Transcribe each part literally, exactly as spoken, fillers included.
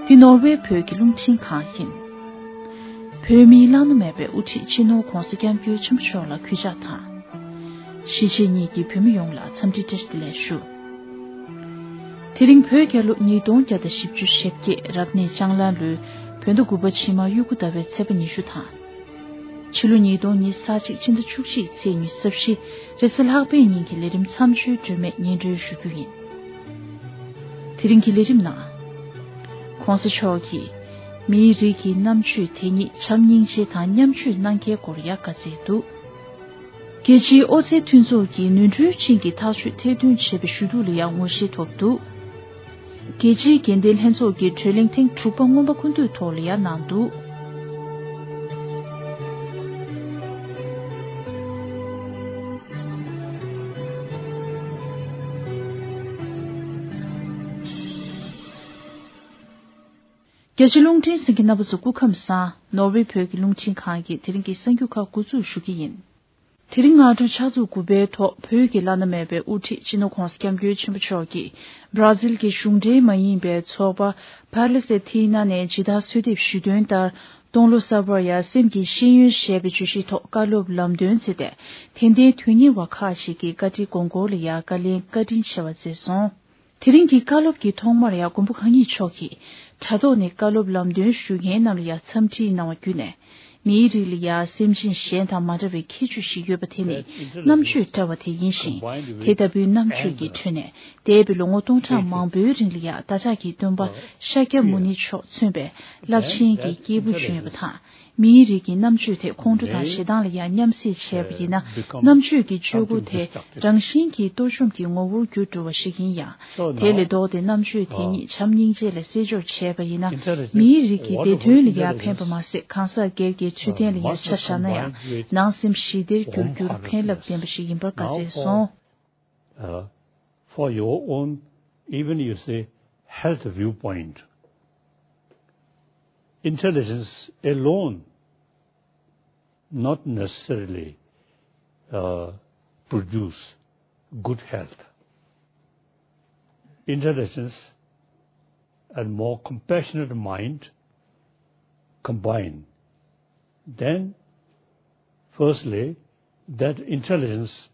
འདི་ནོར་ཝེ་བོད་ཀྱི་རླུང་འཕྲིན་ཁང་ཡིན། བོད་མིའི་བླ་ན་མེད་པའི་དབུ་ཁྲིད་སྤྱི་ནོར་༧གོང་ས་༧སྐྱབས་མགོན་ཆེན་པོ་མཆོག་ལ་གུས་ཕྱག་དང་། གཞིས་བྱེས་གཉིས་ཀྱི་བོད་མི་ཡོངས་ལ་འཚམས་འདྲི་བཀྲ་ཤིས་བདེ་ལེགས་ཞུ། དེ་རིང་བོད་རྒྱལ་ལོ་ཉིས་སྟོང་བརྒྱ་དང་བཞི་བཅུ་ཞེ་བརྒྱད་རབ་གནས་ལྕང་ལ་ལོའི་བོད་ཟླ་དགུ་པ་ཕྱི་མ་དབྱུག་གུ་ཟླ་བའི་ཚེས་པ་ཉི་ཤུ་དང་། ཕྱི་ལོ་ཉིས་སྟོང་ཉི་ཤུ་རྩ་གཅིག་ཕྱི་ཟླ་བཅུ་གཅིག་ཚེས་ཉི་ཤུ་རྩ་བཞི་རེས་གཟའ་ལྷག་པའི་ཉིན་གྱི་ལས་རིམ་མཚམས་གཅོད་སྒྲོན་མེ་སྙན་སྒྲོན་ཞུ་རྒྱུ་ཡིན། དེ་རིང་གི་ལས་རིམ་ནང་། གོང་ས་མཆོག་གིས་མིའི་རིགས་ཀྱི་རྣམ་དཔྱོད་དེ་ཉིད་བྱམས་སྙིང་རྗེ་དང་མཉམ་སྤྱོད་གནང་མཁན་སྐོར་ཡང་བཀའ་སྩལ་འདུག་རྒྱལ་སྤྱིའི་ཨོ་རྩལ་མཐུན་ཚོགས་ཀྱི་ནོར་འཁྲུལ་ཅན་གྱི་ཐག་གཅོད་ཐེར་འདོན་བྱས་པའི་ཞུ་གཏུག་ལ་ཡང་ངོ་ཤེས་ཐོབ་འདུག་རྒྱལ་སྤྱིའི་འགན་ལྡན་ལྷན་ཚོགས་ཀྱི་གྲོས་གླེང་ཐེངས་དྲུག་པ་སྔོན་མ་སྐུ་མདུན་ཐོག་ལ་ཡང་གནང་འདུག་རྒྱ་ཆེ་རླུང་འཕྲིན་གསན་མཁན་རྣམ་པ་ཚོ་སྐུ་ཁམས་བཟང་། ནོར་ཝེ་བོད་ཀྱི་རླུང་འཕྲིན་ཁང་གིས་དེ་རིང་གི་གསར་འགྱུར་ཁག་འགོ་འཛུགས་ཞུ་གི་ཡིན། དེ་རིང་སྔ་དྲོ་ཕྱག་ཚོད་དགུ་པའི་ཐོག་བོད་ཀྱི་བླ་ན་མེད་པའི་དབུ་ཁྲིད་སྤྱི་ནོར་༧གོང་ས་༧སྐྱབས་མགོན་ཆེན་པོ་མཆོག་གིས་བྷ་ར་ཟིལ་གྱི་གཞུང་འབྲེལ་མ་ཡིན་པའི་ཚོགས་པ་Palestina་ནས་ཇི་ལྟར་གསོལ་འདེབས་ཞུས་དོན་ལྟར། སྟོང་ལོ་གསར་པར་ཡང་སེམས་ཀྱི་ཤེས་ཡོན་ཞེས་པའི་བརྗོད་གཞིའི་ཐོག་བཀའ་སློབ་ལམ་སྟོན་མཛད་དེ། དད་ལྡན་དོན་གཉེར་བ་ཁག་ཅིག་གིས་བཀའ་ཁྲིད་དགོངས་སྐོར་ལ་ཡང་བཀའ་ལན་བཀའ་དྲིན་ཆེ་བ་མཛད་སོང་། དེ་རིང་གི་བཀའ་སློབ་ཀྱི་ཐོག་མར་ཡང་མགོན་པོ་གང་ཉིད་མཆོག་གིས་དྲ་ཐོག་ནས་བཀའ་སློབ་ལམ་སྟོན་ཞུ་མཁན་རྣམས་ལ་ཡང་འཚམས་འདྲི་གནང་བ་བརྒྱུད་ནས། མིའི་རིགས་ལ་ཡང་སེམས་ཅན་གཞན་དང་མ་འདྲ་བའི་ཁྱད་ཆོས་ཤིག་ཡོད་པ་དེ་ནི་རྣམ་དཔྱོད་བཀྲ་བ་དེ་ཡིན་ཞིང་། དེ་ལྟ་བུའི་རྣམ་དཔྱོད་ཀྱི་ཁྲོད་ནས་འདས་པའི་ལོ་ངོ་སྟོང་ཕྲག་མང་པོའི་རིང་ལ་ཡང་བདག་ཅག་གི་སྟོན་པ་ཤཱཀྱ་མུ་ནི་མཆོག་མཚོན་པའི་རླབས་ཆེན་གྱི་སྐྱེས་བུ་བྱོན་ཡོད་པ་དང་། མིའི་རིགས་ཀྱི་རྣམ་དཔྱོད་དེ་ཁོང་ཁྲོ་དང་ཞེ་སྡང་ལ་ཡང་མཉམ་བསྲེས་བྱས་པ་ཡིན་ན། རྣམ་དཔྱོད་ཀྱི་སྤྱོད་སྒོ་དེ་རང་བཞིན་གྱིས་གཏོར་བཅོམ་གྱི་ངོ་བོར་གྱུར་འགྲོ་བ་ཞིག་ཡིན་ཡང་། དེ་ལས་ལྡོག་སྟེ་རྣམ་དཔྱོད་དེ་ཉིད་བྱམས་སྙིང་རྗེ་ལ་སྲིད་སྐྱོང་བྱས་པ་ཡིན་ན། མིའི་རིགས་ཀྱི་བདེ་དོན་ལ་ཡང་ཕན་པ་མ་ཟད། གང་ཟག་སྒེར་གྱི་འཕྲོད་བསྟེན་ལ་ཡང་ཆ་བཞག་ན་ཡང་། ནང་སེམས་ཞི་བདེར་འགྱུར་རྒྱུར་ཕན་རླབས་ལྡན་པ་ཞིག་ཡིན་པར་བཀའ་སྩལ་སོང་། Uh, for your own, even you say, health viewpoint. Intelligence alone not necessarily uh, produce good health. Intelligence and more compassionate mind combine, then firstly, that intelligence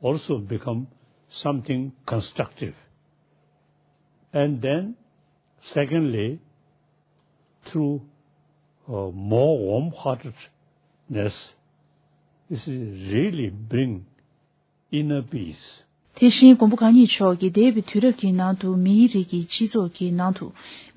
also become something constructive. And then, secondly, through uh, more warm-heartedness, this is really bring inner peace. དེ་བཞིན་མགོན་པོ་གང་ཉིད་མཆོག་གིས་འདས་པའི་དུས་རབས་ཀྱི་ནང་དུ་མིའི་རིགས་ཀྱི་སྤྱི་ཚོགས་ཀྱི་ནང་དུ་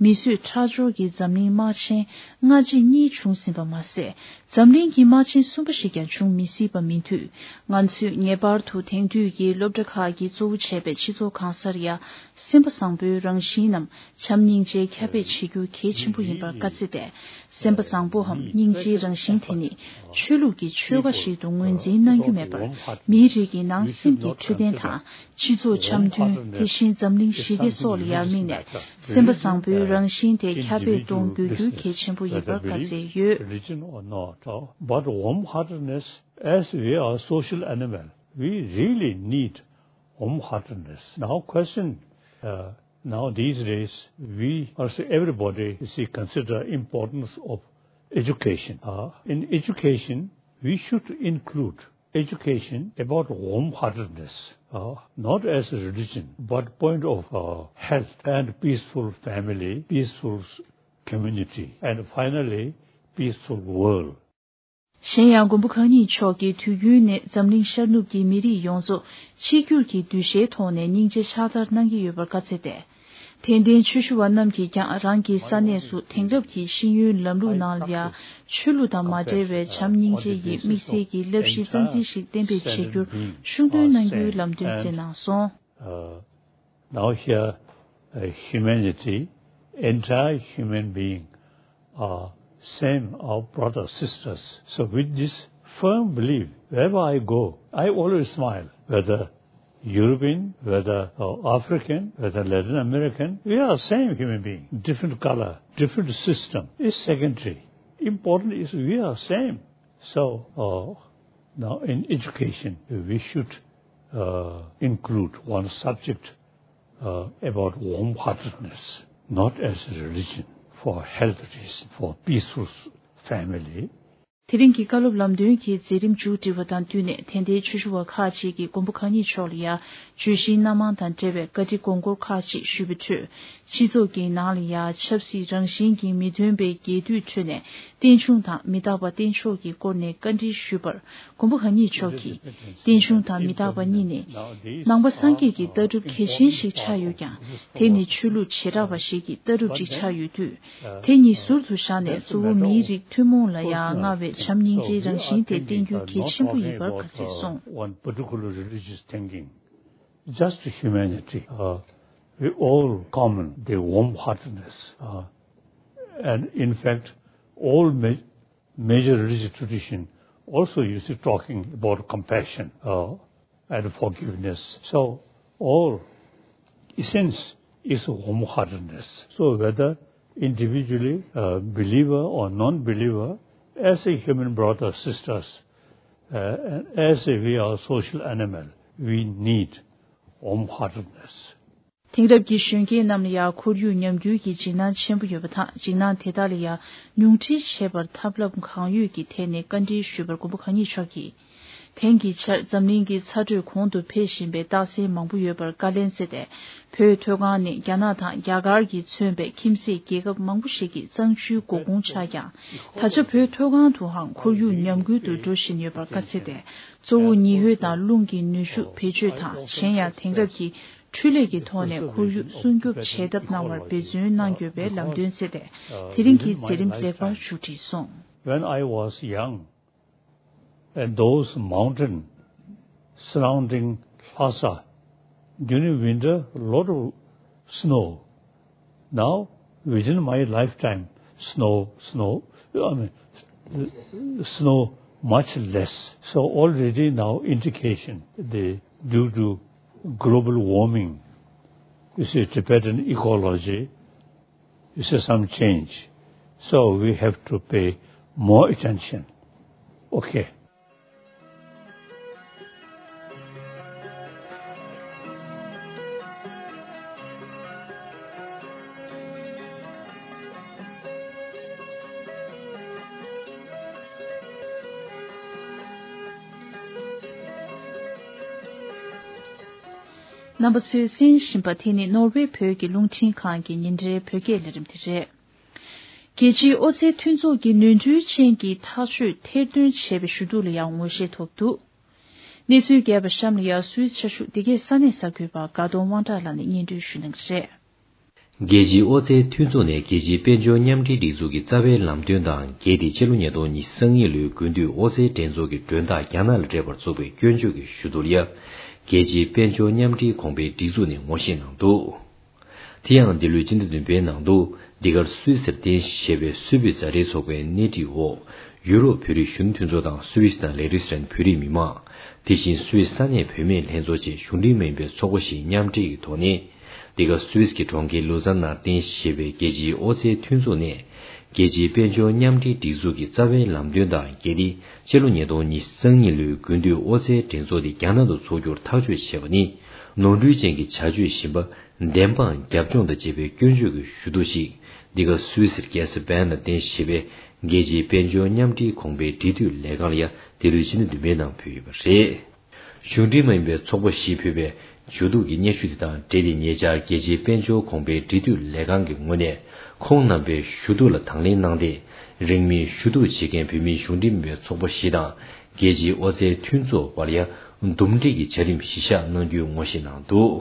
མི་གསོད་ཁྲག་སྦྱོར་གྱི་འཛམ་གླིང་དམག་ཆེན་ལྔ་གཅིག་གཉིས་བྱུང་ཟིན་པ་མ་ཟད། འཛམ་གླིང་གི་དམག་ཆེན་གསུམ་པ་ཞིག་ཀྱང་བྱུང་མི་སྲིད་པ་མིན་དུས། ང་ཚོས་ངེས་པར་དུ་དེང་དུས་ཀྱི་སློབ་གྲྭ་ཁག་གིས་གཙོ་བོ་བྱས་པའི་སྤྱི་ཚོགས་གང་སར་ཡང་སེམས་པ་བཟང་པོའི་རང་བཞིན་ནམ་བྱམས་སྙིང་རྗེ་ཁྱབ་སྤེལ་བྱེད་རྒྱུ་གལ་ཆེན་པོ་ཡིན་པར་བཀའ་སྩལ་ཏེ། སེམས་པ་བཟང་པོའམ་སྙིང་རྗེའི་རང་བཞིན་དེ་ནི་ཆོས་ལུགས་ཀྱི་ཆོལ་ཁ་ཞིག་ཏུ་ངོས་འཛིན་གནང་རྒྱུ་མེད་པར། མིའི་རིགས་ཀྱི་ནང་སེམས་ཀྱི་འཕྲོད་བསྟེན་དང་། སྤྱི་ཚོགས་འཆམ་མཐུན། དེ་བཞིན་འཛམ་གླིང་ཞི་བདེ་སོགས་ལ་ཡང་དམིགས་ནས། སེམས་པ་བཟང་པོའི་རང་བཞིན་དེ་ཁྱབ་སྤེལ་གཏོང་དགོས་རྒྱུ་གལ་ཆེན་པོ་ཡིན་པར་བཀའ་སྩལ་ཡོད། Religion or not, but warm-heartedness, as we are social animal, we really need warm-heartedness. Now question, uh, now these days, we, also everybody, you see, consider importance of education. Uh, in education, we should include education about warm-heartedness, uh, not as a religion, but point of uh, health and peaceful family, peaceful community, and finally, peaceful world. གཞན་ཡང་མགོན་པོ་གང་ཉིད་མཆོག་གིས་དུས་རྒྱུན་ནས་འཛམ་གླིང་ཤར་ནུབ་ཀྱི་མི་རིགས་ཡོངས་རྫོགས་གཅིག་གྱུར་གྱི་གདུལ་བྱའི་ཐོག་ནས་སྙིང་རྗེ་ཕྱག་བསྟར་གནང་གི་ཡོད་པར་བཀའ་སྩལ་ཏེ། དད་ལྡན་ཆོས་ཞུ་བ་རྣམས་ཀྱིས་ཀྱང་རང་གི་ས་གནས་སུ་དེང་རབས་ཀྱི་ཤེས་ཡོན་ལམ་ལུགས་ནང་ལ་ཡང་ཆོས་ལུགས་དང་མ་འབྲེལ་བའི་བྱམས་སྙིང་རྗེ་ཡི་དམིགས་བསལ་གྱི་བསླབ་གཞི་རྩ་འཛིན་ཞིག་གཏན་འབེབས་བྱེད་རྒྱུར་ཤུགས་སྣོན་གནང་རྒྱུའི་ལམ་སྟོན་མཛད་གནང་སོང་། Uh, now here, uh, humanity, entire human being are same, our brothers, sisters. So with this firm belief, wherever I go, I always smile. Whether European, whether uh, African, whether Latin American, we are same human being. Different color, different system is secondary. Important is we are same. So uh, now in education, we should uh, include one subject uh, about warm-heartedness, not as a religion. for health reason, for peaceful family. དེ་རིང་གི་བཀའ་སློབ་ལམ་སྟོན་གྱི་མཛད་རིམ་མཇུག་སྒྲིལ་བ་དང་བསྟུན་ནས་དད་ལྡན་ཆོས་ཞུ་བ་ཁག་ཅིག་གིས་མགོན་པོ་གང་ཉིད་མཆོག་ལ་ཡང་བརྗོད་གཞིའི་སྣ་མང་དང་འབྲེལ་བའི་བཀའ་འདྲི་དགོངས་སྐོར་ཁག་ཅིག་ཞུས་པའི་ཁྲོད། སྤྱི་ཚོགས་ཀྱི་ནང་ལ་ཡང་ཆབ་སྲིད་རང་བཞིན་གྱིས་མི་མཐུན་པའི་རྒྱས་བསྡུས་ཁྲོད་ནས་རྟེན་འབྱུང་དང་མི་རྟག་པ་རྟེན་མཆོག་གི་སྐོར་ནས་བཀའ་འདྲི་ཞུས་པར། མགོན་པོ་གང་ཉིད་མཆོག་གིས། རྟེན་འབྱུང་དང་མི་རྟག་པ་གཉིས་ནི། ནང་པ་སངས་རྒྱས་ཀྱི་ལྟ་གྲུབ་གལ་ཆེན་ཞིག་ཆགས་ཡོད་ཀྱང་། དེ་ནི་ཆོས་ལུགས་བྱེ་བྲག་པ་ཞིག་གི་ལྟ་གྲུབ་ཅིག་ཆགས་ཡོད་དུས། དེ་གཉིས་ཟུར་དུ་བཞག་ནས་གཙོ་བོ་མིའི་རིགས་ཐུན་མོང་ལ་ཡང་མངའ་བའི་བྱམས་སྙིང་རྗེའི་རང་བཞིན་དེ་བསྟན་རྒྱུ་གལ་ཆེན་པོ་ཡིན་པར་དགའ་ཚིག་གསུངས། One particular religious thinking, just humanity. Uh, we all common the warm-heartedness, uh, and in fact, all ma- major religious tradition also you see talking about compassion, uh, and forgiveness. So all essence is warm-heartedness. So whether individually, uh, believer or non-believer, as a human brother or sisters, uh, and as a, we are social animal, we need warm-heartedness. དེང་རབས་ཀྱི་གཞོན་སྐྱེས་རྣམས་ལ་ཡང་ཁོར་ཡུག་ཉམས་རྒུད་ཀྱི་འཇིགས་སྣང་ཆེན་པོ་ཡོད་པ་དང་། འཇིགས་སྣང་དེ་དག་ལ་ཡང་ཉུང་འཕྲི་བྱེད་པར་ཐབས་ལམ་གང་ཡོད་ཀྱི་ཐད་ནས་བཀའ་འདྲི་ཞུས་པར་མགོན་པོ་གང་ཉིད་མཆོག་གིས། དེང་གི་ཆར་འཛམ་གླིང་གི་ཚ་དྲོད་གོང་དུ་འཕེལ་བཞིན་པའི་རྟགས་མཚན་མང་པོ་ཡོད་པར་བཀའ་ལན་སྩལ་ཏེ། བོད་མཐོ་སྒང་ནི་རྒྱ་ནག་དང་རྒྱ་གར་གྱིས་མཚོན་པའི་ཁྱིམ་མཚེས་རྒྱལ་ཁབ་མང་པོ་ཞིག་གི་གཙང་ཆུའི་མགོ་ཁུངས་ཆགས་ཀྱང་། ད་ཆ་བོད་མཐོ་སྒང་དུའང་ཁོར་ཡུག་ཉམས་རྒུད་དུ་འགྲོ་བཞིན་ཡོད་པར་བཀའ་སྩལ་ཏེ། གཙོ་བོ་ཉི་འོད་དང་རླུང་གི་ནུས་ཤུགས་བེད་སྤྱོད་དང་། གཞན་ཡང་དེང་རབས་ཀྱི་འཕྲུལ་ལས་ཀྱི་ཐོག་ནས་ཁོར་ཡུག་སྲུང་སྐྱོབ་བྱེད་ཐབས་གནང་བར་འབད་བརྩོན་གནང་དགོས་པའི་ལམ་སྟོན་བསྩལ་ཏེ། དེ་རིང་གི་མཛད་རིམ་ལེགས་པར་མཇུག་སྒྲིལ་སོང་། When I was young, and those mountain surrounding Lhasa, during winter, a lot of snow. Now, within my lifetime, snow, snow, I mean, snow much less. So already now indication the, due to global warming, you see, Tibetan ecology, you see some change. So we have to pay more attention. Okay. རྣམ་པ་ཚོས་གསན་བཞིན་པ་དེ་ནི་ནོར་ཝེ་བོད་ཀྱི་རླུང་འཕྲིན་ཁང་གི་ཉིན་རེའི་བོད་སྐད་ལས་རིམ་དེ་རེད། རྒྱལ་སྤྱིའི་ཨོ་རྩལ་མཐུན་ཚོགས་ཀྱིས་ནོར་འཁྲུལ་ཅན་གྱི་ཐག་གཅོད་ཐེར་འདོན་བྱས་པའི་ཞུ་གཏུག་ལ་ཡང་ངོ་ཤེས་ཐོབ་འདུག་གནས་ཚུལ་རྒྱས་པ་གཤམ་ལ་ཡང་སུད་སི་ཆ་ཤུགས་འདི་གའི་ས་གནས་གསར་འགོད་པ་དགའ་གདོང་དབང་གྲགས་ལགས་ནས་སྙན་སྒྲོན་ཞུ་གནང་གི་རེད། རྒྱལ་སྤྱིའི་ཨོ་རྩལ་མཐུན་ཚོགས་ནས་རྒྱལ་སྤྱིའི་དཔལ་འབྱོར་མཉམ་འབྲེལ་སྒྲིག་འཛུགས་ཀྱི་རྩ་བའི་ལམ་སྟོན་དང་འགལ་ཏེ་སྤྱི་ལོ་ཉིས་སྟོང་ཉི་ཤུ་རྩ་གཉིས་ལོའི་དགུན་དུས་ཨོ་རྩལ་འགྲན་ཚོགས་ཀྱི་མགྲོན་བདག་རྒྱ་ནག་ལ་སྤྲད་པར་བཙུགས་པའི་སྐྱོན་བརྗོད་ཀྱི་ཞུ་གཏུག་ལ་ཡང་རྒྱལ་སྤྱིའི་དཔལ་འབྱོར་མཉམ་འབྲེལ་གོང་འཕེལ་སྒྲིག་འཛུགས་ནས་ངོ་ཤེས་གནང་འདུག་དེ་ཡང་འདི་ལོའི་སྤྱི་ཟླ་བདུན་པའི་ནང་དུ་འདི་གར་སུད་སིར་རྟེན་གཞི་བྱས་པའི་སུད་བོད་མཛའ་འབྲེལ་ཚོགས་པའི་སྣེ་ཁྲིད་འོག་ཡུ་རོབ་བོད་རིགས་གཞོན་ནུ་མཐུན་ཚོགས་དང་སུད་སི་དང་ལེག་རིས་ཊན་བོད་རིགས་མི་མང་། དེ་བཞིན་སུད་སི་ས་གནས་བུད་མེད་ལྷན་ཚོགས་བཅས་གཞུང་འབྲེལ་མ་ཡིན་པའི་ཚོགས་པ་བཞིའི་མཉམ་འབྲེལ་གྱི་ཐོག་ནས། འདི་ག་སུད་སི་གི་གྲོང་ཁྱེར་ལུ་ཛན་ནང་རྟེན་གཞི་བྱས་པའི་རྒྱལ་སྤྱིའི་ཨོ་རྩལ་མཐུན་ཚོགས་ནས། རྒྱལ་སྤྱིའི་དཔལ་འབྱོར་མཉམ་འབྲེལ་སྒྲིག་འཛུགས་ཀྱི་རྩ་བའི་ལམ་སྟོན་དང་འགལ་ཏེ། སྤྱི་ལོ་ཉིས་སྟོང་ཉི་ཤུ་རྩ་གཉིས་ལོའི་དགུན་དུས་ཨོ་རྩལ་འགྲན་ཚོགས་དེ་རྒྱ་ནག་ཏུ་འཚོགས་རྒྱུར་ཐག་གཅོད་བྱས་པ་ནི། ནོར་འཁྲུལ་ཅན་གྱི་བྱ་སྤྱོད་ཞིག་ཡིན་པ། བདེན་དཔང་རྒྱབ་ལྗོངས་དང་བཅས་པའི་སྐྱོན་བརྗོད་ཀྱི་ཞུ་གཏུག་ཅིག་འདི་ག་སུད་སིར་རྒྱལ་ས་བྷན་ལ་རྟེན་གཞི་བྱས་པའི་རྒྱལ་སྤྱིའི་དཔལ་འབྱོར་མཉམ་འབྲེལ་གོང་འཕེལ་འབྲེལ་མཐུད་ལས་ཁང་ལ་ཡང་འདི་ལོའི་ཕྱི་ཟླ་བདུན་པའི་ནང་ཕུལ་ཡོད་པ་རེད། གཞུང་འབྲེལ་མ་ཡིན་པའི་ཚོགས་པ་བཞིས་ཕུལ་བའི་ཞུ་གཏུག་གི་སྙན་ཞུ་དེ་དང་འབྲེལ་ཏེ། ཉེ་ཆར་རྒྱལ་སྤྱིའི་དཔལ་འབྱོར་གོང་འཕེལ་འབྲེལ་མཐུད་ལས་ཁང་གི་ངོས་ནས། ཁོང་རྣམ་པའི་ཞུ་གཏུག་ལ་དང་ལེན་གནང་སྟེ། རིང་མིན་ཞུ་གཏུག་བྱེད་མཁན་བོད་མིའི་གཞུང་འབྲེལ་མིན་པའི་ཚོགས་པ་བཞི་དང་། རྒྱལ་སྤྱིའི་ཨོ་རྩལ་མཐུན་ཚོགས་བར་ཡང་འདུམ་འགྲིག་གི་བྱ་རིམ་གཞི་བཞག་གནང་རྒྱུའི་ངོ་ཤེས་གནང་འདུག་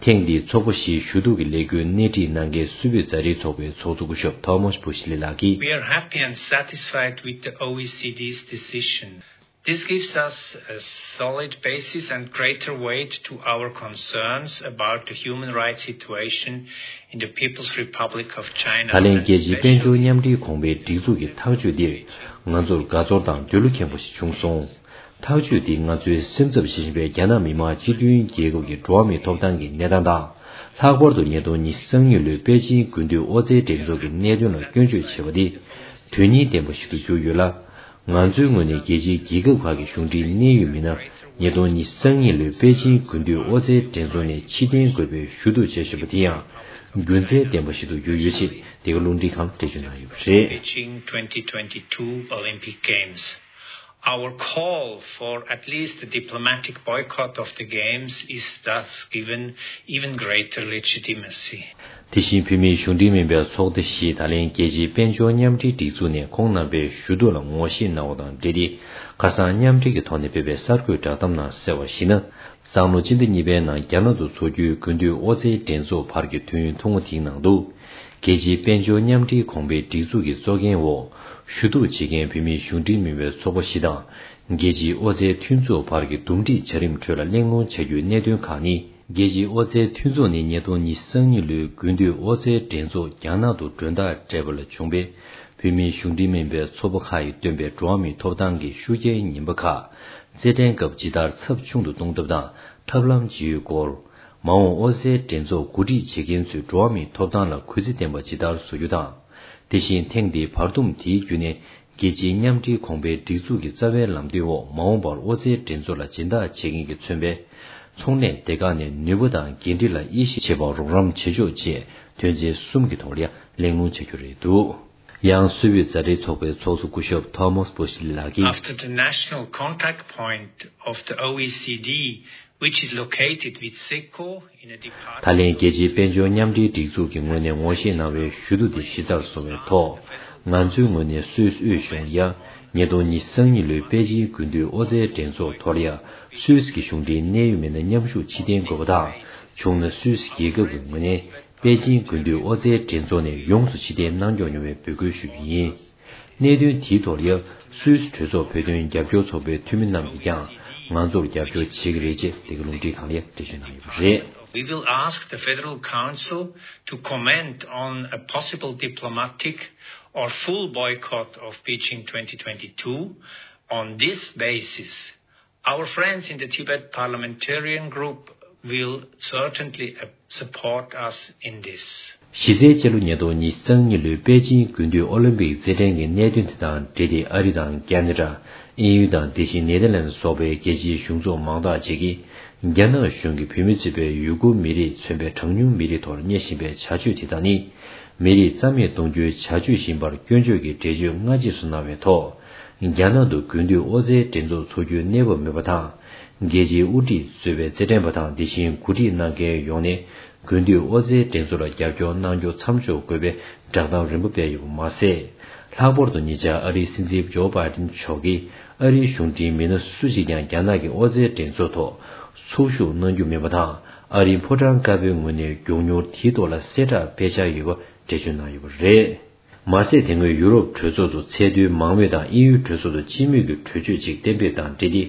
ཐེངས་འདིའི་ཚོགས་པ་བཞིའི་ཞུ་གཏུག་གི་ལས་འགུལ་སྣེ་ཁྲིད་གནང་མཁན་སུད་བོད་མཛའ་འབྲེལ་ཚོགས་པའི་ཚོགས་གཙོ་སྐུ་ཞབས་ཐོ་མཱས་བྷུ་ཤི་ལི་ལགས་ཀྱིས། We are happy and satisfied with the O E C D's decision. This gives us a solid basis and greater weight to our concerns about the human rights situation in the People's Republic of China. ད་ལན་རྒྱལ་སྤྱིའི་དཔལ་འབྱོར་མཉམ་འབྲེལ་གོང་འཕེལ་སྒྲིག་འཛུགས་ཀྱི་ཐག་གཅོད་འདིར་ང་ཚོར་དགའ་ཚོར་དང་འདོད་བློ་ཁེངས་པོ་ཞིག་བྱུང་སོང་། ཐག་གཅོད་འདིས་ང་ཚོའི་སེམས་འཚབ་བྱེད་བཞིན་པའི་རྒྱ་ནག་མི་དམངས་སྤྱི་མཐུན་རྒྱལ་ཁབ་ཀྱི་འགྲོ་བ་མིའི་ཐོབ་ཐང་གི་གནས་སྟངས་དང་། ལྷག་པར་དུ་ཉིས་སྟོང་ཉི་ཤུ་རྩ་གཉིས་ལོའི་པེ་ཅིང་དགུན་དུས་ཨོ་རྩལ་འགྲན་ཚོགས་ཀྱི་གནད་དོན་ལ་སྐྱོན་བརྗོད་བྱས་པ་འདི་དོན་སྙིང་ལྡན་པ་ཞིག་ཏུ་གྱུར་ཡོད་ལ། ང་ཚོའི་ངོས་ནས་རྒྱལ་སྤྱིའི་རྒྱལ་ཁབ་ཁག་གི་གཞུང་འབྲེལ་གནད་ཡོད་མི་སྣར་ཉིས་སྟོང་ཉི་ཤུ་རྩ་གཉིས་ལོའི་པེ་ཅིང་དགུན་དུས་ཨོ་རྩལ་འགྲན་ཚོགས་ནས་ཕྱིར་འཐེན་དགོས་པའི་ཞུ་གཏུག་བྱས་བཞིན་པ་དེ་ཡང་། རྒྱུ་མཚན་ལྡན་པ་ཞིག་ཏུ་གྱུར་ཡོད་ཅེས་འདི་ག་རླུང་འཕྲིན་ཁང་ལ་འགྲེལ་བརྗོད་གནང་ཡོད་པ་རེད། Beijing twenty twenty-two Olympic Games. Our call for at least diplomatic boycott of the Games is thus given even greater legitimacy. དེ་བཞིན་བོད་མིའི་གཞུང་འབྲེལ་མིན་པའི་ཚོགས་སྡེ་བཞིས་ད་ལན་རྒྱལ་སྤྱིའི་དཔལ་འབྱོར་མཉམ་འབྲེལ་སྒྲིག་འཛུགས་ནས་ཁོང་རྣམ་པའི་ཞུ་གཏུག་ལ་ངོ་ཤེས་གནང་བ་དང་འབྲེལ་ཏེ། ཁ་སང་མཉམ་འབྲེལ་གྱི་ཐོག་ནས་སྤེལ་བའི་གསར་འགོད་བསྒྲགས་གཏམ་ནང་གསལ་བར་གཞིགས་ན། སང་ལོ་སྤྱི་ཟླ་གཉིས་པའི་ནང་རྒྱ་ནག་ཏུ་འཚོགས་རྒྱུའི་དགུན་དུས་ཨོ་རྩལ་འགྲན་ཚོགས་བར་གྱི་དུས་ཡུན་ཐུང་ངུ་དེའི་ནང་དུ། རྒྱལ་སྤྱིའི་དཔལ་འབྱོར་མཉམ་འབྲེལ་གོང་འཕེལ་སྒྲིག་འཛུགས་ཀྱི་གཙོ་འགན་འོག་ཞུ་གཏུག་བྱེད་མཁན་བོད་མིའི་གཞུང་འབྲེལ་མིན་པའི་ཚོགས་པ་བཞི་དང་། རྒྱལ་སྤྱིའི་ཨོ་རྩལ་མཐུན་ཚོགས་བར་གྱི་འདུམ་འགྲིག་བྱ་རིམ་ཁྲོད་ལ་གླེང་སློང་བྱ་རྒྱུའི་གནད་དོན་ཁག་ནི། རྒྱལ་སྤྱིའི་ཨོ་རྩལ་མཐུན་ཚོགས་ནས་ཉིས་སྟོང་ཉི་ཤུ་རྩ་གཉིས་ལོའི་དགུན་དུས་ཨོ་རྩལ་འགྲན་ཚོགས་རྒྱ་ནག་ཏུ་མགྲོན་བདག་སྤྲད་པ་ལ་བྱུང་བའི་བོད་མིའི་གཞུང་འབྲེལ་མིན་པའི་ཚོགས་པ་ཁག་གིས་བཏོན་པའི་འགྲོ་བ་མིའི་ཐོབ་ཐང་གི་ཤུགས་རྐྱེན་ངན་པ་ཁག་རྩེད་འགྲན་སྐབས་ཇི་ལྟར་ཚབས་ཆུང་དུ་གཏོང་ཐབས་དང་ཐབས་ལམ་ཇི་ཡོད་སྐོར། མ་འོངས་ཨོ་རྩལ་འགྲན་ཚོགས་གོ་སྒྲིག་བྱེད་མཁན་ཚོས་འགྲོ་བ་མིའི་ཐོབ་ཐང་ལ་གུས་བརྩི་ལྡན་པ་ཇི་ལྟར་བཟོ་རྒྱུ་དང་། དེ་བཞིན་ཐེངས་འདིའི་བར་འདུམ་དེའི་བརྒྱུད་ནས་རྒྱལ་སྤྱིའི་མཉམ་འབྲེལ་གོང་འཕེལ་སྒྲིག་འཛུགས་ཀྱི་རྩ་བའི་ལམ་སྟོན་འོག་མ་འོངས་པར་ཨོ་རྩལ་འགྲན་ཚོགས་ལ་སྦྱིན་བདག་བྱེད་མཁན་གྱིས་མཚོན་པའི་ཚོང་ལས་སྡེ་ཁག་ནས་ནུས་པ་དང་འགན་འཁྲི་ལ་དབྱེ་ཞིབ་བྱེད་པར་རོགས་རམ་བྱེད་ཆོག་ཅེས་དོན་ཚན་གསུམ་གྱི་ཐོག་ལ་ཡང་གླེང་སློང་བྱ་རྒྱུ་རེད་འདུག་ཡང་སུད་བོད་མཛའ་འབྲེལ་ཚོགས་པའི་ཚོགས་གཙོ་སྐུ་ཞབས་Thomas Buschli ལགས་ཀྱིས། After the national contact point of the O E C D, which is located with SECO in a department ད་ལན་རྒྱལ་སྤྱིའི་དཔལ་འབྱོར་མཉམ་འབྲེལ་སྒྲིག་འཛུགས་ཀྱི་ངོས་ནས་ངོ་ཤེས་གནང་བའི་ཞུ་གཏུག་དེ་གཞི་རྩར་བཟུང་བའི་ཐོག་ང་ཚོའི་ངོས་ནས་སུད་སི་དབུས་གཞུང་ཡ། ཉིས་སྟོང་ཉི་ཤུ་རྩ་གཉིས་ལོའི་པེ་ཅིང་དགུན་དུས་ཨོ་རྩལ་འགྲན་ཚོགས་ཐོག་ལ་ཡ། སུད་སི་གི་གཞུང་འབྲེལ་གནད་ཡོད་མི་སྣ་མཉམ་ཞུགས་ཕྱིར་འཐེན་དགོས་པ་དང་། བྱུང་ན་སུད་སི་རྒྱལ་ཁབ་ཀྱི་ངོས་ནས། པེ་ཅིང་དགུན་དུས་ཨོ་རྩལ་འགྲན་ཚོགས་ནས་ཡོངས་སུ་ཕྱིར་འཐེན་གནང་སྐྱོང་ཡོང་བའི་འབོད་སྐུལ་ཞུ་རྒྱུ་ཡིན། གནད་དོན་དེའི་ཐོག་ལ་སུད་སི་གྲོས་ཚོགས་བོད་དོན་རྒྱབ་སྐྱོར་ཚོགས་པའི་འཐུས་མི་རྣམས་ཀྱིས་ཀྱང་ང་ཚོར་རྒྱབ་སྐྱོར་བྱེད་ཀྱི་རེད་ཅེས་འདི་ག་རླུང་འཕྲིན་ཁང་ལ་འགྲེལ་བརྗོད་གནང་ཡོད་པ་རེད། We will ask the Federal Council to comment on a possible diplomatic or full boycott of Beijing twenty twenty-two. On this basis, our friends in the Tibet Parliamentarian Group will certainly, uh, support us in this. གཞི་རྩའི་སྤྱི་ལོ་ཉིས་སྟོང་ཉི་ཤུ་རྩ་གཉིས་ལོའི་པེ་ཅིང་དགུན་དུས་ཨོ་ལིམ་པིག་རྩེད་འགྲན་གྱི་གནད་དོན་དེ་དང་འབྲེལ་ཏེ་ཨ་རི་དང་ཁ་ན་ཌ། དབྱིན་ཡུལ་དང་དེ་བཞིན་ནེ་དར་ལན་སོགས་པའི་རྒྱལ་སྤྱིའི་གཞུང་ཚོགས་མང་དག་ཅིག་གིས་རྒྱ་ནག་གཞུང་གིས་བོད་མི་གཙོས་པའི་ཡུ་གུར་མི་རིགས་མཚོན་པའི་གྲངས་ཉུང་མི་རིགས་ཐོག་གཉེར་བཞིན་པའི་བྱ་སྤྱོད་དེ་དག་ནི། མི་རིགས་རྩ་མེད་གཏོང་རྒྱུའི་བྱ་སྤྱོད་ཡིན་པར་སྐྱོན་བརྗོད་ཀྱི་འགྲེལ་བརྗོད་སྔ་རྗེས་སུ་གནང་བའི་ཐོག་རྒྱ་ནག་ཏུ་དགུན་དུས་ཨོ་རྩལ་འགྲན་ཚོགས་འཚོགས་རྒྱུའི་གནས་བབ་མེད་པ་དང་། རྒྱལ་སྤྱིའི་དབུ་ཁྲིད་གཙོས་པའི་རྩེད་འགྲན་པ་དང་དེ་བཞིན་གོ་སྒྲིག་གནང་མཁན་ཡོངས་ནས་དགུན་དུས་ཨོ་རྩལ་འགྲན་ཚོགས་ལ་རྒྱབ་སྐྱོར་གནང་རྒྱུ་མཚམས་འཇོག་དགོས་པའི་བསྒྲགས་གཏམ་རིམ་པ་སྤེལ་ཡོད་པ་མ་ཟད། ལྷག་པར་དུ་ཉེ་ཆར་ཨ་རིའི་སྲིད་འཛིན་ཇོ་བྷའི་ཌེན་མཆོག་གིས་ཨ་རིའི་གཞུང་འབྲེལ་མི་སྣ་སུ་ཞིག་ཀྱང་རྒྱ་ནག་གི་ཨོ་རྩལ་འགྲན་ཚོགས་ཐོག་ཚོགས་ཞུགས་གནང་རྒྱུ་མིན་པ་དང་། ཨ་རིའི་ཕོ་བྲང་དཀར་པོའི་ངོས་ནས་མགྱོགས་མྱུར་དེའི་ཐོག་ལ་གསལ་བསྒྲགས་སྤེལ་འཆར་ཡོད་པ་འགྲེལ་བརྗོད་གནང་ཡོད་པ་རེད། མ་ཟད་དེ་སྔོན་ཡུ་རོབ་གྲོས་ཚོགས་སུ་ཚད་མཐོའི་མང་མོས་དང་དབྱིན་ཡུལ་གྲོས་ཚོགས་སུ་སྤྱི་མོས་ཀྱི་གྲོས་ཆོད་ཅིག་གཏན་འབེབས་དང་འབྲེལ་ཏེ།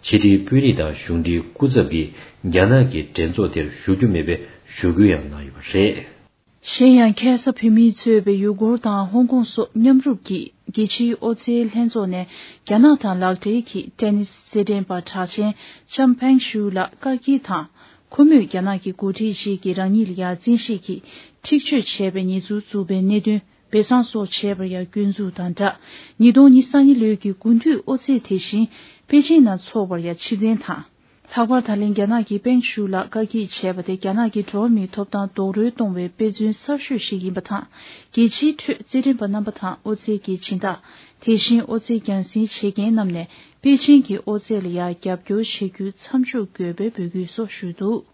ཕྱི་དྲིལ་དཔོན་རིགས་དང་གཞུང་འབྲེལ་སྐུ་ཚབ་ཀྱིས་རྒྱ་ནག་གི་འགྲན་ཚོགས་དེར་ཞུགས་རྒྱུ་མེད་པའི་ཞུ་སྐུལ་ཡང་གནང་ཡོད་པ་རེད། གཞན་ཡང་ཁ་ས་བོད་མིས་གཙོས་པའི་ཡུ་གུར་དང་ཧོང་ཀོང་སོགས་མཉམ་རུབ་ཀྱིས་རྒྱལ་སྤྱིའི་ཨོ་རྩལ་ལྷན་ཚོགས་ནས་རྒྱ་ནག་དང་ལག་འབྲེལ་གྱིས་ཏེ་ནིས་རྩེད་འགྲན་པ་གྲགས་ཅན་ལྕམ་ཕེང་ཤུའུ་ལགས་བཀག་སྐྱིལ་དང་། ཁོ་མོས་རྒྱ་ནག་གི་འགོ་ཁྲིད་ཞིག་གིས་རང་ཉིད་ལ་ཡ་བཙན་ཤེད་ཀྱིས་འཁྲིག་སྤྱོད་བྱས་པའི་ཉེས་འཛུགས་བཙུགས་པའི་གནད་དོན་སྦས་གསང་སོགས་བྱས་པར་ཡང་སྐྱོན་འཛུགས་དང་སྦྲགས། ཉིས་སྟོང་ཉི་ཤུ་རྩ་གཉིས་ལོའི་གི་དགུན་དུས་ཨོ་རྩེད་དེ་བཞིན་པེ་ཅིང་ནང་འཚོགས་པར་ཡང་ཕྱིར་འཐེན་དང་། ལྷག་པར་ད་ལན་རྒྱ་ནག་གིས་པེང་ཤུའུ་ལགས་བཀག་སྐྱིལ་བྱས་པ་དེ་རྒྱ་ནག་གི་འགྲོ་བ་མིའི་ཐོབ་ཐང་རྡོག་རོལ་གཏོང་བའི་དཔེ་མཚོན་གསར་ཤོས་ཤིག་ཡིན་པ་དང་། རྒྱལ་སྤྱིའི་ཁྲོད་རྩེད་འགྲན་པ་རྣམ་པ་དང་ཨོ་རྩལ་གྱི་སྦྱིན་བདག་དེ་བཞིན་ཨོ་རྩལ་རྒྱང་སྲིང་བྱེད་མཁན་རྣམས་ནས་པེ་ཅིང་གི་ཨོ་རྩལ་ལ་ཡང་རྒྱབ་སྐྱོར་བྱེད་རྒྱུ་མཚམས་འཇོག་དགོས་པའི་འབོད་སྐུལ་སོགས་ཞུས་འདུག།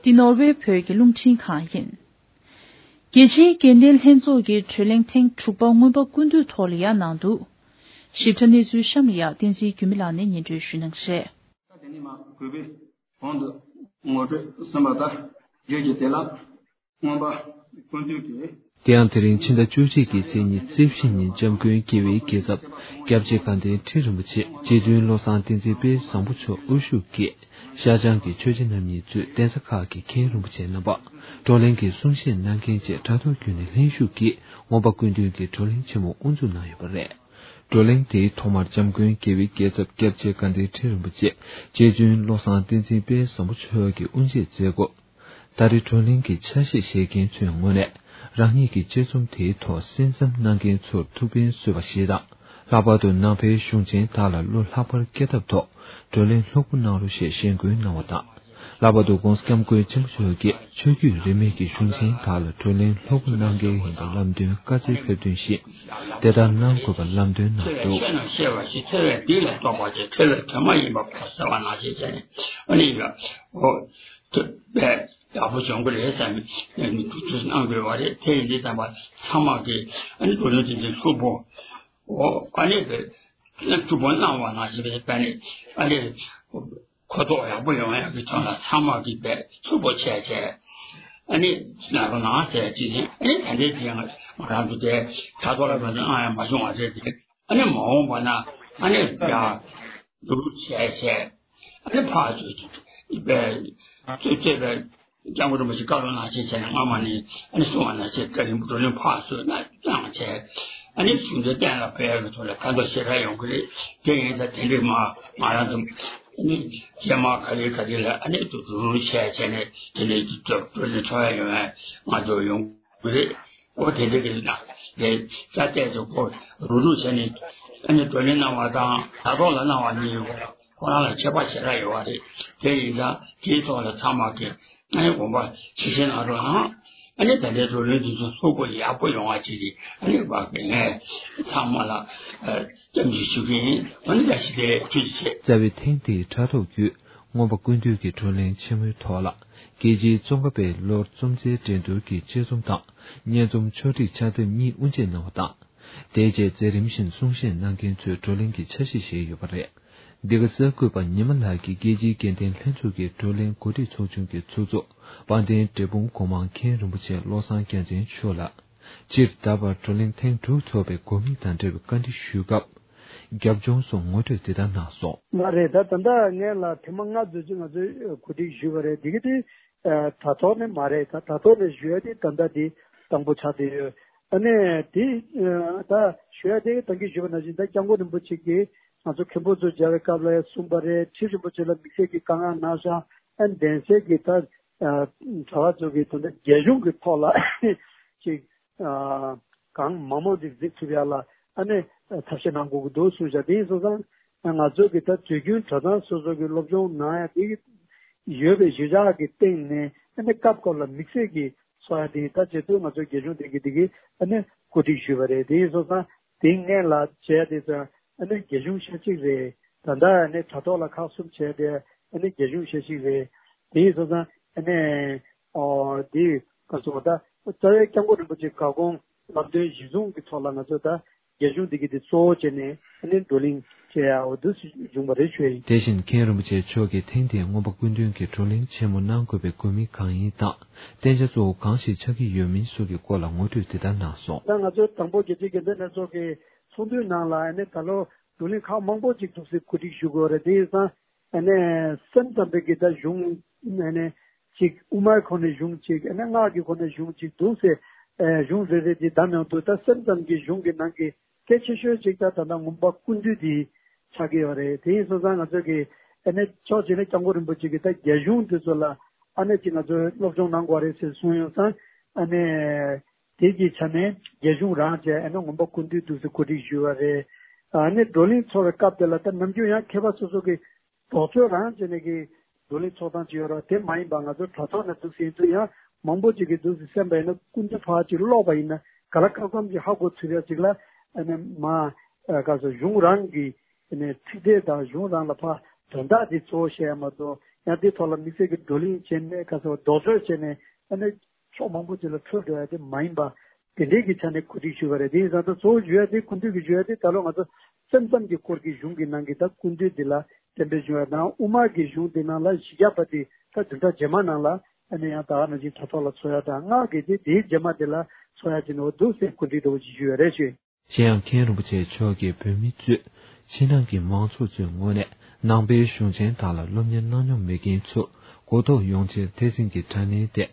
འདི་ནོར་ཝེ་བོད་ཀྱི་རླུང་འཕྲིན་ཁང་ཡིན། རྒྱལ་སྤྱིའི་དགེ་ལྡན་ལྷན་ཚོགས་ཀྱི་བགྲོ་གླེང་ཐེངས་དྲུག་པ་སྔོན་པ་སྐུ་མདུན་ཐོག་ལ་ཡང་གནང་འདུག། ཞིབ་ཕྲ་གནས་ཚུལ་གཤམ་ལ་ཡང་བསྟན་འཛིན་འགྱུར་མེད་ལགས་ནས་སྙན་སྒྲོན་ཞུ་གནང་གི་རེད། དེ་ནས་མ་གུས་པས་གོང་དུ་ངོ་སྤྲོད་གསན་པ་ལྟར་བརྗོད་ཀྱི་དེ་ལ་སྔོན་པ་སྐུ་མདུན་གྱིས། དེ་ཡང་དེ་རིང་ཕྱི་ཟླ་བཅུ་གཅིག་གི་ཚེས་ཉི་ཤུ་རྩ་བཞི་ཉིན་འཇམ་མགོན་དགེ་བའི་རྒྱལ་ཚབ་སྐྱབས་རྗེ་དགའ་ལྡན་ཁྲི་རིན་པོ་ཆེ་རྗེ་བཙུན་བློ་བཟང་བསྟན་འཛིན་དཔལ་བཟང་པོ་མཆོག་དབུ་བཞུགས་ཀྱིས་ཤར་བྱང་གི་ཆོས་རྗེ་རྣམ་གཉིས་གཙོས་གདན་ས་ཁག་གི་མཁན་རིན་པོ་ཆེ་རྣམ་པ་བགྲོ་གླེང་གི་གསུང་བཤད་གནང་མཁན་བཅས་དྲ་ཐོག་བརྒྱུད་ནས་ལྷན་ཞུགས་ཀྱིས་སྔོན་པ་སྐུ་མདུན་གྱི་བགྲོ་གླེང་ཆེན་མོ་དབུ་འཛུགས་གནང་ཡོད་པ་རེད། བགྲོ་གླེང་དེའི་ཐོག་མར་འཇམ་མགོན་དགེ་བའི་རྒྱལ་ཚབ་སྐྱབས་རྗེ་དགའ་ལྡན་ཁྲི་རིན་པོ་ཆེ་རྗེ་བཙུན་བློ་བཟང་བསྟན་འཛིན་དཔལ་བཟང་པོ་མཆོག་གིས་དབུ་འབྱེད་མཛད་སྐོར། ད་རེས་བགྲོ་གླེང་གི་ཆ་ཤས་བཞེས་མཁན་ཚོའི་ངོས་ནས། རང་ཉིད་ཀྱི་དཔྱད་རྩོམ་དེའི་ཐོག་གསན་བསམ་གནང་མཁན་ཚོར་ཐུགས་ཕན་གསོས་པ་ཞིག་དང་། ལྷག་པར་དུ་ནང་པའི་གཞུང་ཆེན་དག་ལ་བློ་ལྷག་པར་སྐྱེ་ཐབས་ཐོག་བགྲོ་གླེང་ལྷུག་པོ་གནང་རོགས་ཞེས་ཞེན་སྐུལ་གནང་བ་དང་། ལྷག་པར་དུ་༧གོང་ས་༧སྐྱབས་མགོན་ཆེན་པོ་མཆོག་གིས་ཆོས་བརྒྱུད་རིས་མེད་ཀྱི་གཞུང་ཆེན་དག་ལ་བགྲོ་གླེང་ལྷུག་པོ་གནང་གལ་ཡིན་པའི་ལམ་སྟོན་བཀའ་སྩལ་ཕེབས་དོན་བཞིན། དེ་ལྟར་གནང་དགོས་པ་ལམ་སྟོན་གནང་འདུག། ཆོས་ལ་ཤེས་པ་ཞིག་ཐོས་པས་སྡིག་ལས་ལྡོག་པ་ཞིག་ཐོས་པས་དོན་མ་ཡིན་པ་གོ་ཟེར་བ་ནང་བཞིན་བྱས་ནས། ཨ་ནི་ཡ་ཨོ་ཐོས་པས་ཡག་པོ་བྱུང་གི་རེད་བསམ་ནས་ཐུགས་ཚུར་གནང་དགོས་པ་རེད། དེ་ཡིན་དུས་ཙམ་པ་ཚང་མ་གིས་ཨ་ནི་བགྲོ་གླེང་དེ་འདྲའི་ལྷུག་པོ་ཨོ་ཨ་ནི་ཐུགས་ཕན་གནང་བ་ནང་བཞིན་བྱས་ནས་ཨ་ནི། གོ་རྟོགས་ཡག་པོ་ཡོང་ཡག་གི་དོན་ལ་ཚང་མ་གིས་དཔེ་ཕྱུག་པོ་བྱས་བྱས། ཨ་ནི་ན་རོ་ནང་ཟེར་ཅིག་ནི་ཨ་ནི་ད་ལྟའི་དེ་ང་རང་ཚོ་དེ་དྲ་ཐོག་ལ་མ་ནི་ཨང་ཡང་མ་བྱུང་བ་རེད་དེ། ཨ་ནི་མ་འོངས་པ་ན་ཨ་ནི་ཡ་འདུག་བྱས་བྱས། ཨ་ནི་ཕར་ཚུར་དཔེ་རྩོད་རྩོད་པའི་སྐྱབས་མགོན་རིན་པོ་ཆེ་བཀའ་སློབ་གནང་བྱས་བྱས་ནས་སྔ་མ་ནས་ཨ་ནི་གསུང་བ་ནང་བཞིན་བཀའ་དྲིན་བགྲོ་གླེང་ཕར་ཚུར་གནང་བྱས། ཨ་ནི་གཞུང་འདི་གཏན་ལ་ཕབ་ཡག་གི་ཐོག་ལ་ཕན་ཐོགས་ཞེ་དྲག་ཡོང་གི་རེད། དེ་ཡིན་ཙང་དེ་འདྲའི་མ་ང་རང་ཚོ་ཨ་ནི་རྗེས་མ་ག་རེ་ག་རེ་ལ་ཨ་ནི་དུ་རུ་རུ་བྱས་བྱས་ནས་དེ་འདྲའི་བགྲོ་གླེང་ཚོགས་ཡག་ཡོང་བའི་ང་ཚོ་ཡོང་གི་རེད། ཨོ་དེ་འདྲ་གི་ན་རེད། ས་ཏེ་ཚོ་ཁོ་རུ་རུ་བྱས་ནས་ཨ་ནི་བགྲོ་གླེང་གནང་བ་དང་དྲ་ཐོག་ལ་གནང་བ་གཉིས་ཁོ་རང་ལ་ཁྱད་པར་ཞེ་དྲག་ཡོད་པ་རེད། དེ་ཡིན་ཙང་དེའི་ཐོག་ལ་ཚང་མ་གི་ཨ་ནི་དགོངས་པ་ཇི་བཞིན་གནང་རོགས་གནང་། ཨ་ནི་ད་ལྟའི་བགྲོ་གླེང་འདི་ཚོ་ལྷུག་པོ་ཡག་པོ་ཡོང་བ་བྱེད་ཀྱི་ཨ་ནི་བ་གི་ངས་ཚང་མ་ལ་སྐྱབས་འཇུག་ཞུ་གི་ཡིན། ཨ་ནི་བཀྲ་ཤིས་བདེ་ལེགས། ཐུགས་རྗེ་ཆེ། རྩ་བའི་ཐེངས་འདིའི་དྲ་ཐོག་བརྒྱུད་མངོན་པ་ཀུན་བཏུས་ཀྱི་བགྲོ་གླེང་ཆེན་མོའི་ཐོག་ལ། རྒྱལ་སྤྱིའི་ཙོང་ཁ་པའི་ལོར་རྩོམ་རྩལ་འགྲན་བསྡུར་གྱི་དཔྱད་རྩོམ་དང་། སྙན་རྩོམ་ཕྱོགས་སྒྲིག་ཕྱག་དེབ་གཉིས་དབུ་འབྱེད་གནང་བ་དང་། དེའི་རྗེས་མཛད་རིམ་བཞིན་གསུང་བཤད་གནང་མཁན་ཚོས་བགྲོ་གླེང་གི་འཆར་གཞི་བཞེས་ཡོད་པ་རེད། འདི་ག་གསར་འགོད་པ་ཉི་མ་ལགས་ཀྱིས་རྒྱལ་སྤྱིའི་དགེ་ལྡན་ལྷན་ཚོགས་ཀྱི་བགྲོ་གླེང་འགོ་ཁྲིད་ཚོགས་ཆུང་གི་ཚོགས་གཙོ་དཔལ་ལྡན་འབྲས་སྤུངས་སྒོ་མང་མཁན་རིན་པོ་ཆེ་བློ་བཟང་རྒྱལ་མཚན་མཆོག་ལ། སྤྱིར་ད་བར་བགྲོ་གླེང་ཐེངས་དྲུག་ཚོགས་པའི་དགོས་དམིགས་དང་འབྲེལ་བའི་བཀའ་འདྲི་ཞུས་སྐབས། རྒྱབ་ལྗོངས་སུ་ངོ་སྤྲོད་འདི་ལྟར་གནང་སོང་། མ་རེད། ད་ད་ལྟ་ངས་ལ་ཐེངས་མ་ལྔ་ཙམ་ཅིག་ང་ཚོས་གོ་སྒྲིག་ཞུས་པ་རེད། འདི་ག་དེ་དྲ་ཐོག་ནས་མ་རེད། ད་དྲ་ཐོག་ནས་ཞུ་ཡ་དེ་ད་ལྟ་དེ་དང་པོ་ཆགས་བསྡད་ཡོད། ཨ་ནས་དེ་ད་ཞུ་ཡ་དེ་ད་གིན་ཞུས་པ་ནང་བཞིན་ད་སྐྱབས་མགོན་རིན་པོ་ཆེ་གིས་ང་ཚོ་མཁན་པོ་ཚོ་མཇལ་བའི་སྐབས་ལ་གསུངས་པ་རེད། ཁྲི་རིན་པོ་ཆེ་ལ་དམིགས་བསལ་གྱི་བཀའ་མངགས་གནང་ཤག་ཨ་གདན་སའི་གི་ད་གྲྭ་པ་ཚོ་གི་ད་ལྟ་རྒྱལ་གཞུང་གི་ཐོག་ལ་ཅིག་གང་མང་མང་ཅིག་གཟིགས་ཐུབ་ཡ་ལ་ཨ་ནི་ཐབས་ཤེས་གནང་དགོས་ཀྱི་འདུག་གསུངས་ཤག་དེ་ཡིན་སོང་ཙང་ང་ཚོ་གི་ད་དུས་རྒྱུན་གྲྭ་ཚང་སོ་སོ་གི་སློབ་སྦྱོང་གནང་ཡ་དེ་ཡོད་པའི་གཞི་བཞག་གི་སྟེང་ནས་ཨ་ནི་སྐབས་སྐབས་ལ་དམིགས་བསལ་གྱི་ཚོགས་ཡ་དེ་ད་བྱེད་དུས་ང་ཚོ་རྒྱལ་གཞུང་དེ་གི་དེ་གི་ཨ་ནི་གོ་སྒྲིག་ཞུས་པ་རེད། དེ་ཡིན་སོང་ཙང་དེ་སྔོན་ལ་བྱས་དེ་ཚོ་ཨ་ནི་རྒྱལ་གཞུང་ཤ་གཅིག་རེད། ད་ལྟ་ཨ་ནི་དྲ་ཐོག་ལ་ཁག་གསུམ་བྱས་ཏེ་ཨ་ནི་རྒྱལ་གཞུང་ཤ་གཅིག་རེད། དེ་ཡིན་སོང་ཙང་ཨ་ནི་ཨོ་དེ་ག་སོ་ད་རྩ་བའི་སྐྱབས་མགོན་རིན་པོ་ཆེ་བཀའ་དགོངས་ལམ་སྟོན་གཞི་བཟུང་གི་ཐོག་ལ་ང་ཚོ་ད་རྒྱལ་གཞུང་འདི་གི་དེ་གཙོ་བོ་བྱས་ནས་ཨ་ནི་བགྲོ་གླེང་བྱེད་ཡ་འོ་འདུག་སེ་བྱུང་བ་རེད་ཞུ་ཡ་ཡིན། དེ་བཞིན་མཁན་རིན་པོ་ཆེ་མཆོག་གིས་ཐེངས་འདིའི་མངོན་པ་ཀུན་བཏུས་ཀྱི་བགྲོ་གླེང་ཆེན་མོ་གནང་དགོས་པའི་དགོས་དམིགས་གང་ཡིན་དང་། བསྟན་བྱ་གཙོ་བོ་གང་ཞིག་ཆགས་ཀྱི་ཡོད་མིན་སོགས་ཀྱི་སྐོར་ལ་ངོ་སྤྲོད་འདི་ལྟར་གནང་སོང་། ད་ང་ཚོ་དང་པོ་རྒྱལ་སྤྱིའི་དགེ་ལྡན་ལྷན་ཚོགས་ཀྱི་ཚོགས་འདུའི་ནང་ལ་ཨ་ནི་ད་ལོ་བགྲོ་གླེང་ཁག་མང་པོ་ཅིག་འདུག་སེ་གོ་སྒྲིག་ཞུ་དགོས་རེད། དེ་ཡིན་ཙང་ཨ་ནི་སེམས་ཙམ་པའི་གི་ད་གཞུང་ཨ་ནི་ཅིག་དབུ་མའི་ཁོ་ནས་གཞུང་ཅིག་ཨ་ནི་སྔགས་ཀྱི་ཁོ་ནས་གཞུང་ཅིག་འདུག་སེ་ཨ་གཞུང་རེ་རེ་ཅིག་བདམས་ཡོང་དུས་ད་སེམས་ཙམ་གྱི་གཞུང་གི་ནང་གི་གལ་ཆེ་ཤོས་ཅིག་ད་ད་ལྟ་མངོན་པ་ཀུན་བཏུས་འདི་ཆགས་ཀྱི་ཡོད་རེད། དེ་ཡིན་སོང་ཙང་ང་ཚོ་གི་ཨ་ནི་ཕྱོགས་གཅིག་ནས་སྐྱབས་མགོན་རིན་པོ་ཆེ་གི་ད་རྒྱལ་གཞུང་འདི་ཚོ་ལ་ཨ་ནི་ཅིག་ང་ཚོས་སློབ་སྦྱོང་གནང་དགོས་རེད་ཟེར་གསུངས་ཡོང་ཙང་ཨ་ནི་དེ་གི་ཆ་ནས་རྒྱལ་གཞུང་རང་བཅས་ཨ་ནི་མངོན་པ་ཀུན་བཏུས་འདུག་སེ་གོ་སྒྲིག་ཞུས་པ་རེད། ཨ་ནི་བགྲོ་གླེང་ཚོགས་པའི་སྐབས་དེ་ལ་ད་ནམ་རྒྱུན་ཡང་མཁས་པ་སོ་སོ་གི་རྡོག་རྩོད་རང་བྱས་ནས་ཀྱི་བགྲོ་གླེང་ཚོགས་སྟངས་ཅིག་ཡོད་རེད། དེ་མ་ཡིན་པ་ང་ཚོ་དྲ་ཐོག་ནས་འདུག་ཟིན་དུས་ཡང་མང་པོ་ཅིག་གིས་འདུག་ཟིན་གསན་པ་ཡིན་ན་སྐུ་མདུན་ཕར་ཅིག་ཀློག་པ་ཡིན་ན་ག་ལ་སྐབས་སྐབས་ཅིག་ཧ་གོ་ཚུལ་ཡ་ཅིག་ལ་ཨ་ནི་མ་ག་ཚོད་གཞུང་རང་གི་ཨ་ནི་ཚིག་ཕྲད་དང་གཞུང་རང་ལ་ཕར་དོན་དག་དེ་གཙོ་བོ་བཤད་ཡ་མ་གཏོགས་ཡང་དེ་ཐོག་ལ་དམིགས་བསལ་གྱི་བགྲོ་གླེང་བྱས་ནས་ག་ཚོད་རྡོག་རྩོད་བྱས་ནས་ཨ་ནི་ཕྱོགས་མང་པོ་ཅིག་ལ་འཕྲོད་འགྲོ་ཡ་དེ་མ་ཡིན་པ་དེ་འདྲའི་གི་ཆ་ནས་གོ་སྒྲིག་ཞུས་པ་རེད། དེ་ཡིན་ཙང་ད་གཙོ་བོ་ཞུ་ཡ་དེ་སྐུ་མདུན་གྱིས་ཞུ་ཡ་དེ་ད་ལོ་ང་ཚོ་སེམས་ཙམ་གྱི་སྐོར་གྱི་གཞུང་གི་ནང་གི་ད་སྐུ་མདུན་འདི་ལ་གཏན་འབེབས་བྱུང་བ་དང་དབུ་མ་གི་གཞུང་འདི་ནང་ལ་བཞི་བརྒྱ་པ་དེ་ད་བདུན་ཕྲག་རྗེས་མ་ནང་ལ་ཨ་ནི་ཡང་ད་ག་ནང་བཞིན་དྲ་ཐོག་ལ་འཚོགས་ཡ་དང་སྔགས་ཀྱི་དེ་དེའི་རྗེས་མ་དེ་ལ་འཚོགས་ཡ་ཅིག་ནོར་འདུག་ཟེར་གོ་སྒྲིག་འདྲ་བོ་ཅིག་ཞུས་ཡོད་རེད་ཞུ། གཞན་ཡང་མཁན་རིན་པོ་ཆེ་མཆོག་གིས་བོད་མི་གཙོས་ཕྱི་ནང་གི་མང་ཚོགས་ཚོའི་ངོས་ནས་ནང་པའི་གཞུང་ཆེན་དག་ལ་སློབ་གཉེར་གནང་མྱོང་མེད་མཁན་ཚོར་གོ་རྟོགས་ཡོང་ཕྱིར་ཐེག་ཆེན་གྱི་དྲ་བརྙན་སྟེང་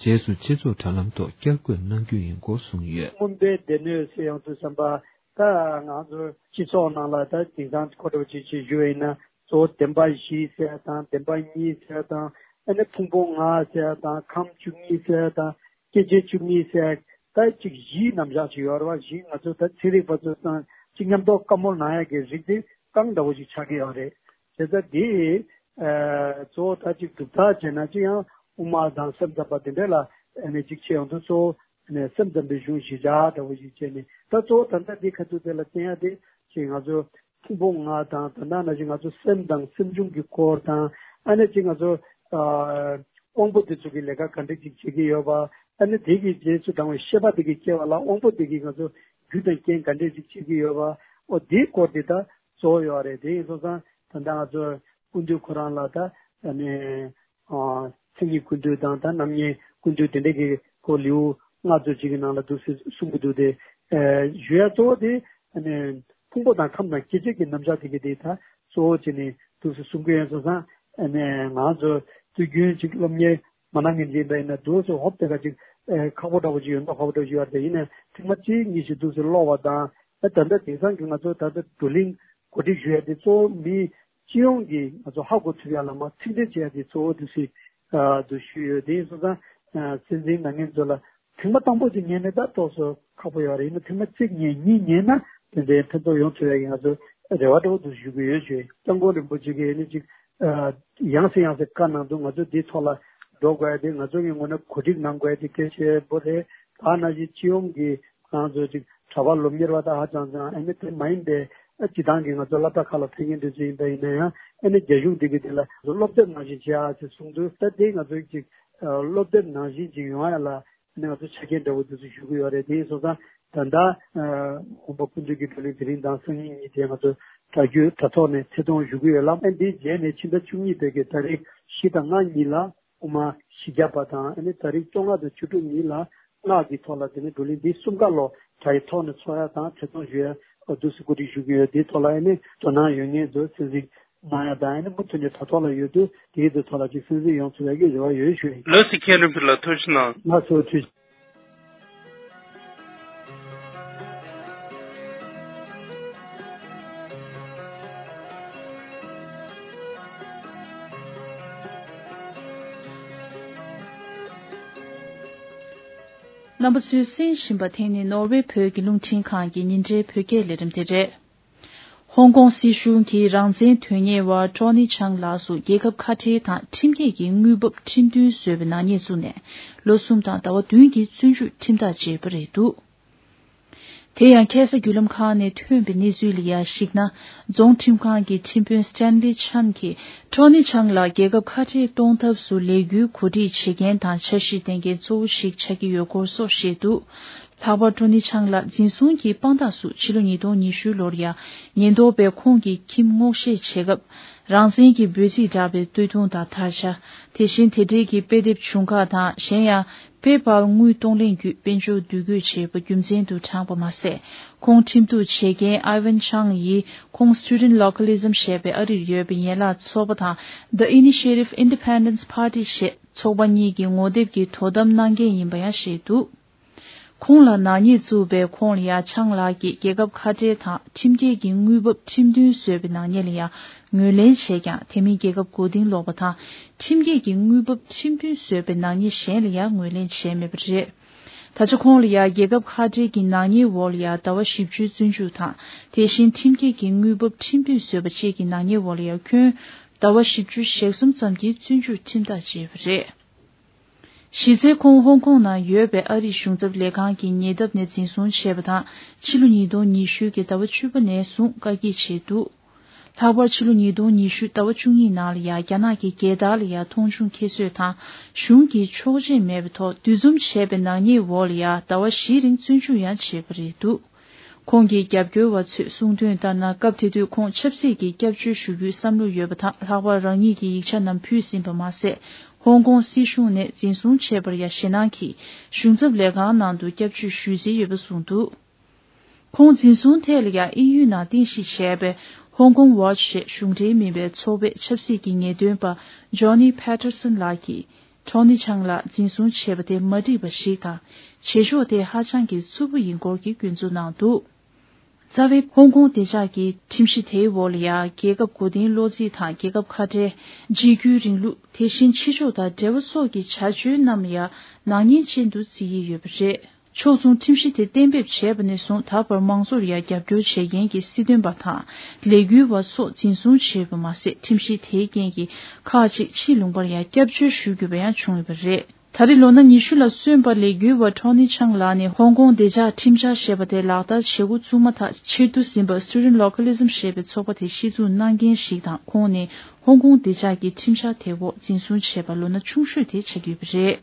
རྗེས་སུ་སྤྱི་ཚོགས་དྲ་ལམ་ཐོག་བསྐྱར་འགོད་གནང་རྒྱུ་ཡིན་སྐོར་གསུངས་ཡོད། མངོན་པའི་སྡེ་སྣོད་ཟེར་ཡོང་དུས་ཙམ་པ་ད་ང་ཚོ་སྤྱི་ཚོགས་ནང་ལ་ད་དེང་སང་གོ་འདྲ་བོ་ཅིག་ཅིག་ཞུ་བ་ཡིན་ན་གཙོ་བོ་བདེན་པ་བཞི་ཟེར་དང་བདེན་པ་གཉིས་ཟེར་དང་ ཨ་ནི་ཕུང་པོ་ལྔ་ཟེར་དང་ཁམས་བཅུ་གཉིས་ཟེར་དང་སྐྱེ་མཆེད་བཅུ་གཉིས་ཟེར་ད་གཅིག་བཞིའི་རྣམ་གཞག་ཅིག་ཡོད་རེད་བ། བཞི་ང་ཚོ་ད་ཚན་རིག་པ་ཚོ་དང་གཅིག་མཉམ་ཐོག་བཀའ་མོལ་གནང་ཡག་གི་རིགས་དེ་རྐང་འདྲ་བོ་ཞིག་ཆགས་ཀྱི་ཡོད་རེད། བྱས་ཙང་དེ་ཨ་གཙོ་བོ་ད་གཅིག་གྲུབ་མཐའ་བྱས་ན་གཅིག་ཡང་དབུ་མ་དང་སེམས་ཙམ་པ་དེ་འདྲ་ལ་ཨ་ནི་གཅིག་བྱས་ཡོང་དུས་གཙོ་བོ་ཨ་ནི་སེམས་ཙམ་པའི་གཞུང་བཞི་ཆ་འདྲ་བོ་ཞིག་བྱས་ནས་ད་གཙོ་བོ་ད་ལྟ་འདི་ཁ་ཐུག་དེ་ལ་བརྟེན་ཡག་དེ་གཅིག་ང་ཚོ་ཕུང་པོ་ལྔ་དང་ད་ལྟ་ནང་བཞིན་ང་ཚོ་སེམས་དང་སེམས་བྱུང་གི་སྐོར་དང་ཨ་ནི་གཅིག་ང་ཚོ་ཨ་དབང་པོ་དེ་ཚོ་གི་ལས་ཀ་ག་འདྲ་ཅིག་བྱེད་ཀྱི་ཡོད་པ། ཨ་ནི་དེ་གི་རྗེས་སུ་འབྲང་བའི་ཤེས་པ་དེ་གི་སྐྱེ་བ་ལ་དབང་པོ་དེ་གི་ང་ཚོ་རྒྱུ་དང་རྐྱེན་ག་འདྲ་ཅིག་བྱེད་ཀྱི་ཡོད་པ། ཨོ་དེའི་སྐོར་དེ་ད་གཙོ་བོ་ཡོད་རེད། དེ་ཡིན་སོང་ཙང་ད་ལྟ་ང་ཚོ་ཀུན་འདུས་ཁོ་རང་ལ་ད་ཨ་ནི་ཨ་མཚན་ཉིད་ཀུན་འདུས་དང་ད་རྣམ་གཡེང་ཀུན་འདུས་དེ་འདྲ་གི་ཁོ་ལེའུ་ལྔ་ཙམ་ཅིག་གི་ནང་ལ་འདུག་སེ་གསུང་གི་འདུག་སྟེ། ཨ་ཞུ་ཡ་གཙོ་བོ་དེ་ཨ་ནི་ཕུང་པོ་དང་ཁམས་དང་སྐྱེ་མཆེད་ཀྱི་རྣམ་གཞག་དེ་གི་དེ་ད་གཙོ་བོ་བྱས་ནས་འདུག་སེ་གསུང་གི་ཡོད་སོང་ཙང་། ཨ་ནི་ང་ཚོ་དུས་རྒྱུན་ཅིག་སློབ་གཉེར་མ་གནང་མཁན་ཅིག་ཡིན་པ་ཡིན་ན་འདུག་སེ་ཧོབ་དེ་ག་ཅིག་ཨ་ཁག་པོ་འདྲ་བོ་ཅིག་ཡོད་མདོག་ཁག་པོ་འདྲ་བོ་ཅིག་ཡོད་རེད། ཡིན་ནའི་ཐེངས་མ་གཅིག་གཉིས་ཤིག་འདུག་སེ་ཀློག་པ་དང་ཨ་ད་ལྟ་དེང་སང་གི་ང་ཚོ་ད་ལྟ་བགྲོ་གླེང་གོ་སྒྲིག་ཞུ་ཡ་དེ་གཙོ་བོ་མི་སྤྱི་ཡོངས་ཀྱིས་ང་ཚོ་ཧ་གོ་ཐུབ་ཡ་ལ་མ་ཚིག་འགྲེལ་བྱེད་ཡ་དེ་གཙོ་བོ་འདུག་སེ་ཨ་འདུག་ཞུས་ཡོད། དེ་ཡིན་སོང་ཙང་ཨ་སྲིད་འཛིན་ནང་ཉན་ཚོ་ལ་ཐེངས་མ་དང་པོ་དེ་ཉན་ནས་ད་ཏོག་ཙམ་ཁག་པོ་ཡོད་རེད། ཡིན་ན་ཐེངས་མ་གཅིག་ཉན་གཉིས་ཉན་ན་དེ་འདྲའི་ཕན་ཐོགས་ཡོང་ཐུབ་ཡ་གི་ང་ཚོ་རེ་བ་འདྲ་བོ་འདུག་ཞུ་གི་ཡོད་ཞུ། སྐྱབས་མགོན་རིན་པོ་ཆེ་གིས་ཨ་ནི་ཅིག་ཨ་ཡང་སེ་ཡང་སེ་བཀའ་གནང་འདུག་ང་ཚོ་འདིའི་ཐོག་ལ་འགྲོ་དགོས་ཡ་དེ་ང་ཚོ་གི་ངོས་ནས་གོ་སྒྲིག་གནང་དགོས་ཡ་དེ་གལ་ཆེ་པོ་རེད། ད་ནང་བཞིན་སྤྱི་ཡོངས་ཀྱི་ང་ཚོ་ཅིག་གྲྭ་པ་སློབ་གཉེར་བ་དང་ཧ་ཅང་ཅང་ཨ་ནི་དེ་མ་ཡིན་པའི་ཨ་སྤྱི་བཏང་གི་ང་ཚོ་སློབ་གྲྭ་ཁག་ལ་ཕེབས་མཁན་དེ་ཚོ་ཡིན་པ་ཡིན་ན་ཡང་ཨ་ནི་རྒྱ་གཞུང་འདི་གི་དེ་ལ་སློབ་དེབ་ནང་བཞིན་བྱེད་ཨ་ཅེས་གསུངས་འདུག་ད་དེ་ང་ཚོ་ཅིག་སློབ་དེབ་ནང་བཞིན་ཅིག་ཡོང་ཡ་ལ་ཨ་ནི་ང་ཚོ་ཆ་རྐྱེན་འདྲ་བོ་དེ་ཚོ་ཞུ་གི་ཡོད་རེད། དེ་ཡིན་སོང་ཙང་ད་ལྟ་ཨ་དགོན་པ་སྤུན་མཆེད་ཀྱི་བགྲོ་གླེང་དེ་རིང་དང་སང་ཉིན་གཉིས་དེ་ང་ཚོ་དྲ་རྒྱུ་དྲ་ཐོག་ནས་ཐད་གཏོང་ཞུ་གི་ཡོད་ལ། ཨ་འདིའི་རྗེས་ནས་ཕྱི་ཟླ་བཅུ་གཉིས་པའི་གི་ཏ་རིག་བཞི་དང་ལྔ་གཉིས་ལ་དབུ་མ་བཞི་བརྒྱ་པ་དང་ཨ་ནི་ཏ་རིག་བཅོ་ལྔ་དང་བཅུ་དྲུག་གཉིས་ལ་སྔགས་ཀྱི་ཐོག་ལ་དེ་ནས་བགྲོ་གླེང་འདི་གསུམ་ཀ་ལོ་དྲ་ཡི་ཐོག་ནས་འཚོགས་ཡ་དང་ཐད་གཏོང་ཞུ་ཡ་འདུག་སེ་གོ་སྒྲིག་ཞུ་གི་ཡོད། འདིའི་ཐོག་ལ་ཨ་ནི་དོ་སྣང་ཡོད་མཁན་ཚོ་གསན་གཟིགས་གནང་ཡ་དང་ཨ་ནི་མུ་མཐུད་ནས་དྲ་ཐོག་ལ་ཡོད་དུས་དེའི་དེ་ཐོག་ལ་ཅིག་གསན་གཟིགས་ཡོང་ཐུབ་ཡ་གི་རེ་བ་ཡོད་ཞུ་ཡིན། ལགས་སོ། མཁན་རིན་པོ་ཆེ་ལགས་ཐུགས་རྗེ་གནང་། ལགས་སོ། ཐུགས་རྗེ་ཆེ། རྣམ་པ་ཚོས་གསན་བཞིན་པ་དེ་ནི་ནོར་ཝེ་བོད་ཀྱི་རླུང་འཕྲིན་ཁང་གི་ཉིན་རེའི་བོད་སྐད་ལས་རིམ་དེ་རེད། ཧོང་ཀོང་སྲིད་གཞུང་གིས་རང་བཙན་དོན་གཉེར་བ་ཀྲོ་ནི་ཆང་ལགས་སུ་རྒྱལ་ཁབ་ཁ་བྲལ་དང་ཁྲིམས་འགལ་གྱི་དངུལ་འབབ་ཁྲིམས་མཐུན་བཟོས་པའི་ནག་ཉེས་བཙུགས་ནས་ལོ་གསུམ་དང་ཟླ་བ་བདུན་གྱི་བཙོན་འཇུག་ཁྲིམས་ཐག་བཅད་པ་རེད་འདུག་དེ་ཡང་ཁ་སང་བརྒྱུད་ལམ་ཁག་ནས་ཐོན་པའི་གནས་ཚུལ་ལ་ཡང་གཞིགས་ན། རྫོང་ཁྲིམས་ཁང་གི་ཁྲིམས་དཔོན་སི་ཏན་ལི་ཆན་གྱིས་ཀྲོ་ནི་ཆང་ལགས་རྒྱལ་ཁབ་ཁ་བྲལ་གཏོང་ཐབས་སུ་ལས་འགུལ་གོ་སྒྲིག་བྱེད་མཁན་དང་འཆར་གཞི་ལྡན་མཁན་གཙོ་བོ་ཞིག་ཆགས་ཀྱི་ཡོད་སྐོར་སོགས་བཤད་འདུག་ལྷག་པར་ཀྲོ་ནི་ཆང་ལགས་འཛིན་བཟུང་གི་དཔང་རྟགས་སུ་ཕྱི་ལོ་ཉིས་སྟོང་ཉི་ཤུ་ལོར་ཡང་ཉེན་རྟོག་པས་ཁོང་གི་ཁྱིམ་སྔོག་བཤེར་བྱེད་སྐབས། རང་བཙན་གྱི་འབོད་ཚིག་བསྒྲགས་པའི་སྟོད་ཐུང་དང་དར་ཆ། དེ་བཞིན་དེ་འབྲེལ་གྱི་དཔེ་དེབ་ཆུང་ཁག་དང་གཞན་ཡང་པེ་པཱལ་དངུལ་གཏོང་ལེན་བརྒྱུད་དཔལ་འབྱོར་འདུ་འགོད་བྱས་པ་རྒྱུ་མཚན་དུ་དྲངས་པ་མ་ཟད། ཁོང་ཁྲིམས་གཏུག་བྱེད་མཁན་ཨའི་ཝན་ཆང་ཡིས་ཁོང་Student Localism ཞེས་པའི་ཨ་རིར་ཡོད་པའི་ཡན་ལག་ཚོགས་པ་དང་The Initiative Independence Party ཞེས་ཚོགས་པ་གཉིས་ཀྱི་ངོ་དེབ་ཀྱི་དོ་དམ་གནང་མཁན་ཡིན་པ་ཡང་བཤད་འདུག་ཁོང་ལ་ནག་ཉེས་བཙུགས་པའི་ཁོངས་ལ་ཡ་ཆང་ལགས་ཀྱིས་རྒྱལ་ཁབ་ཁ་བྲལ་དང་ཁྲིམས་འགལ་གྱི་དངུལ་འབབ་ཁྲིམས་མཐུན་བཟོས་པའི་ནག་ཉེས་ལ་ཡ་ངོས་ལེན་བྱས་ཀྱང་དེ་མིན་རྒྱལ་ཁབ་མགོ་རྟིང་སློག་པ་དང་ཁྲིམས་འགལ་གྱི་དངུལ་འབབ་ཁྲིམས་མཐུན་བཟོས་པའི་ནག་ཉེས་གཞན་ལ་ཡ་ངོས་ལེན་བྱས་མེད་པ་རེད། ད་ཆ་ཁོང་ལ་ཡ་རྒྱལ་ཁབ་ཁ་བྲལ་གྱི་ནག་ཉེས་འོག་ལ་ཡ་ཟླ་བ་བཞི་བཅུའི་བཙོན་འཇུག་དང་དེ་བཞིན་ཁྲིམས་འགལ་གྱི་དངུལ་འབབ་ཁྲིམས་མཐུན་བཟོས་པ་བཅས་ཀྱི་ནག་ཉེས་འོག་ལ་ཡ་ཁྱོན་ཟླ་བ་བཞི་བཅུ་ཞེ་གསུམ་ཙམ་གྱི་བཙོན་འཇུག་ཁྲིམས་ཐག་བཅད་པ་རེད། གཞི་རྩའི་ཁོང་ཧོང་ཀོང་ནང་ཡོད་པའི་ཨ་རིའི་གཞུང་ཚབ་ལས་ཁང་གི་ཉེ་འདབས་ནས་འཛིན་བཟུང་བྱས་པ་དང་ཕྱི་ལོ་ཉིས་སྟོང་ཉི་ཤུ་གི་ཟླ་བ་བཅུ་པ་ནས་བཟུང་བཀག་སྐྱིལ་བྱས་འདུག་ལྷག་པར་ཕྱི་ལོ་ཉིས་སྟོང་ཉི་ཤུ་ཟླ་བ་བཅུ་གཉིས་ནང་ལ་ཡང་རྒྱ་ནག་གི་རྒྱལ་དར་ལ་ཡང་མཐོང་ཆུང་ཁྱད་གསོད་དང་གཞུང་གི་ཆོག་མཆན་མེད་པའི་ཐོག་འདུ་འཛོམས་བྱས་པའི་ནག་ཉེས་འོག་ལ་ཡང་ཟླ་བ་བཞིའི་རིང་བཙོན་འཇུག་ཡང་བྱས་པ་རེད་འདུག་ཁོང་གི་རྒྱབ་སྐྱོར་བ་ཚོས་གསུངས་དོན་ལྟར་ན། སྐབས་དེ་དུས་ཁོང་ཆབ་སྲིད་ཀྱི་སྐྱབས་བཅོལ་ཞུ་རྒྱུའི་བསམ་བློ་ཡོད་པ་དང་། ལྷག་པར་རང་ཉིད་ཀྱི་ཡིག་ཆ་རྣམས་ཕུལ་ཟིན་པ་མ་ཟད། ཧོང་ཀོང་སྲིད་གཞུང་ནས་འཛིན་བཟུང་བྱས་པར་ཡང་ཞེད་སྣང་གིས་གཞུང་ཚབ་ལས་ཁང་ནང་དུ་སྐྱབས་བཅོལ་ཞུ་རྩིས་ཡོད་པ་གསུངས་འདུག་ཁོང་འཛིན་བཟུང་ཐད་ལ་ཡང་དབྱིན་ཡུལ་ནང་རྟེན་གཞི་བྱས་པའི་Hong Kong Watch ཞེས་གཞུང་འབྲེལ་མིན་པའི་ཚོགས་པའི་ཆབ་སྲིད་ཀྱི་ངེས་སྟོན་པ་Johnny Patterson ལགས་ཀྱིས། ཀྲོ་ནི་ཆང་ལགས་འཛིན་བཟུང་བྱས་པ་དེ་མ་འགྲིག་པ་ཞིག་དང་། བྱེད་ཕྱོགས་དེ་ཧ་ཅང་གི་རྩུབ་པོ་ཡིན་སྐོར་གྱི་སྐྱོན་འཛུགས་གནང་འདུག་རྩ་བའི་ཧོང་ཀོང་བདེ་འཇགས་ཀྱི་ཁྲིམས་གཞི་དེའི་འོག་ལ་ཡང་རྒྱལ་ཁབ་མགོ་རྟིང་སློག་རྩིས་དང་རྒྱལ་ཁབ་ཁ་བྲལ། འཇིགས་སྐུལ་རིང་ལུགས། དེ་བཞིན་ཕྱི་ཕྱོགས་དང་འབྲེལ་བ་སོགས་ཀྱི་བྱ་སྤྱོད་རྣམས་ལ་ཡང་ནག་ཉེས་ཅན་དུ་བརྩི་ཡི་ཡོད་པ་རེད། ཕྱོགས་མཚུངས་ཁྲིམས་གཞི་དེ་གཏན་འབེབས་བྱས་པ་ནས་བཟུང་ད་བར་མང་ཚོགས་ལ་ཡང་རྒྱབ་སྐྱོར་བྱེད་མཁན་གྱི་སྲིད་དོན་པ་དང་ལས་འགུལ་བ་སོགས་འཛིན་བཟུང་བྱས་པ་མ་ཟད། ཁྲིམས་གཞི་དེའི་རྐྱེན་གྱིས་ཁག་ཅིག་ཕྱིའི་ལུང་པར་ཡང་སྐྱབས་བཅོལ་ཞུ་དགོས་པ་ཡང་བྱུང་ཡོད་པ་རེད། ད་རེས་ལོ་ན་ཉི་ཤུ་ལ་སོན་པ་ལས་འགུལ་བ་ཁྲོ་ནི་ཆང་ལགས་ནས་ཧོང་ཀོང་བདེ་འཇགས་ཁྲིམས་འཆར་ཞེས་པ་དེ་ལག་བསྟར་བྱེད་འགོ་བཙུགས་མ་ཐག་ཕྱིར་བསྡུ་ཟིན་པ་Student Localism ཞེས་པའི་ཚོགས་པ་དེ་གཞི་བཙུགས་གནང་མཁན་ཞིག་དང་། ཁོང་ནི་ཧོང་ཀོང་བདེ་འཇགས་ཀྱི་ཁྲིམས་འཆར་དེའི་འོག་འཛིན་བཟུང་བྱས་པ་ལོ་ན་ཆུང་ཤོས་དེ་ཆགས་ཀྱི་ཡོད་པ་རེད།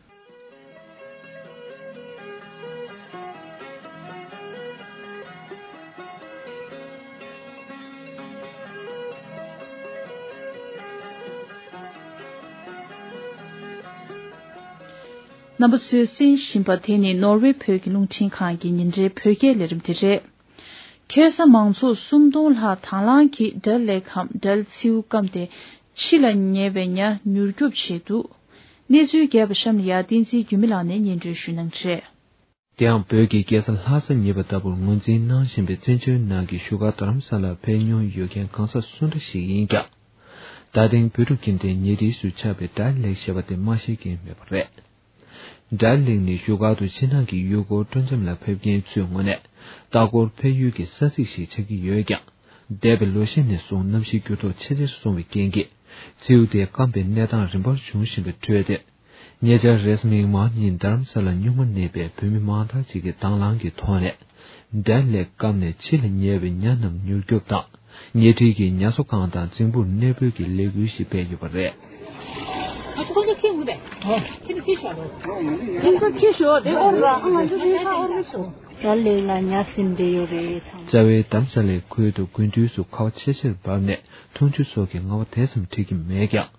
རྣམ་པ་ཚོས་གསན་བཞིན་པ་དེ་ནི་ནོར་ཝེ་བོད་ཀྱི་རླུང་འཕྲིན་ཁང་གི་ཉིན་རེའི་བོད་སྐད་ལས་རིམ་དེ་རེད། ཁ་སང་མང་ཚོགས་སུམ་སྟོང་ལྷག་དང་བླངས་ཀྱིས་དགྲ་ལྷས་སྐམ་དགྲ་ལྷས་མཚེའུ་སྐམ་སྟེ་ཕྱི་ལ་ཉེ་བའི་ཉ་མྱུར་སྐྱོབ་བྱས་འདུག་གནས་ཚུལ་རྒྱས་པ་གཤམ་ལ་ཡང་བསྟན་འཛིན་འགྱུར་མེད་ལགས་ནས་སྙན་སྒྲོན་ཞུ་གནང་གི་རེད། དེའང་བོད་ཀྱི་རྒྱལ་ས་ལྷ་ས་ཉེ་བ་ལྟ་བུར་ངོས་འཛིན་གནང་བཞིན་པའི་བཙན་བྱོལ་ནང་གི་བཞུགས་སྒར་རྡ་རམ་ས་ལར་ཕེབས་མྱོང་ཡོད་མཁན་གང་ཟག་སུ་འདྲ་ཞིག་ཡིན་ཀྱང་། ད་ཐེངས་བོད་ཕྲུག་གི་འདྲའི་ཉེ་འཁྲིས་སུ་ཆགས་པའི་དགྲ་ལྷས་ཞེས་པ་དེ་མ་ཤེས་མཁན་མེད་པ་རེད། དགྲ་ལྷས་ནི་བཞུགས་སྒར་དུ་ཕྱི་ནང་གི་ཡུལ་སྐོར་སྤྲོ་འཆམ་ལ་ཕེབས་མཁན་ཚོའི་ངོས་ནས་ལྟ་སྐོར་ཕེབས་ཡུལ་གྱི་ས་ཚིགས་ཤིག་ཆགས་ཀྱི་ཡོད་ཀྱང་། འདས་པའི་ལོ་ཤས་ནས་བཟུང་གནམ་གཤིས་འགྱུར་ལྡོག་ཆེ་ཆེར་སོང་བའི་རྐྱེན་གྱིས། མཚེའུ་དེ་སྐམ་པའི་གནས་སྟངས་རིམ་པར་བྱུང་བཞིན་པའི་ཁྲོད་དེར། ཉེ་ཆར་རེས་གཟའ་མིག་དམར་ཉིན་རྡ་རམ་ས་ལར་སྨྱུག་མ་མནན་པའི་བོད་མི་མང་དག་ཅིག་གིས་དང་བླངས་ཀྱི་ཐོག་ནས། དགྲ་ལྷས་སྐམ་ནས་ཕྱི་ལ་ཉེ་བའི་ཉ་རྣམས་མྱུར་སྐྱོབ་དང་། ཉེ་འཁྲིས་ཀྱི་ཉ་གསོ་ཁང་དང་རྫིང་བུར་གནས་སྤོས་ཀྱི་ལས་འགུལ་ཞིག་སྤེལ་ཡོད་པ་རེད། དགྲ་ལྷས་ལ་ཉ་ཟིན་བསྡད་ཡོད་རེད། རྩ་བའི་རྡ་རམ་ས་ལའི་ཁུལ་དུ་དགུན་དུས་སུ་ཁ་བ་ཆེ་ཆེར་བབས་ནས་འཐུང་ཆུ་སོགས་ཀྱི་ངལ་བ་དེ་ཙམ་འཕྲད་ཀྱི་མེད་ཀྱང་།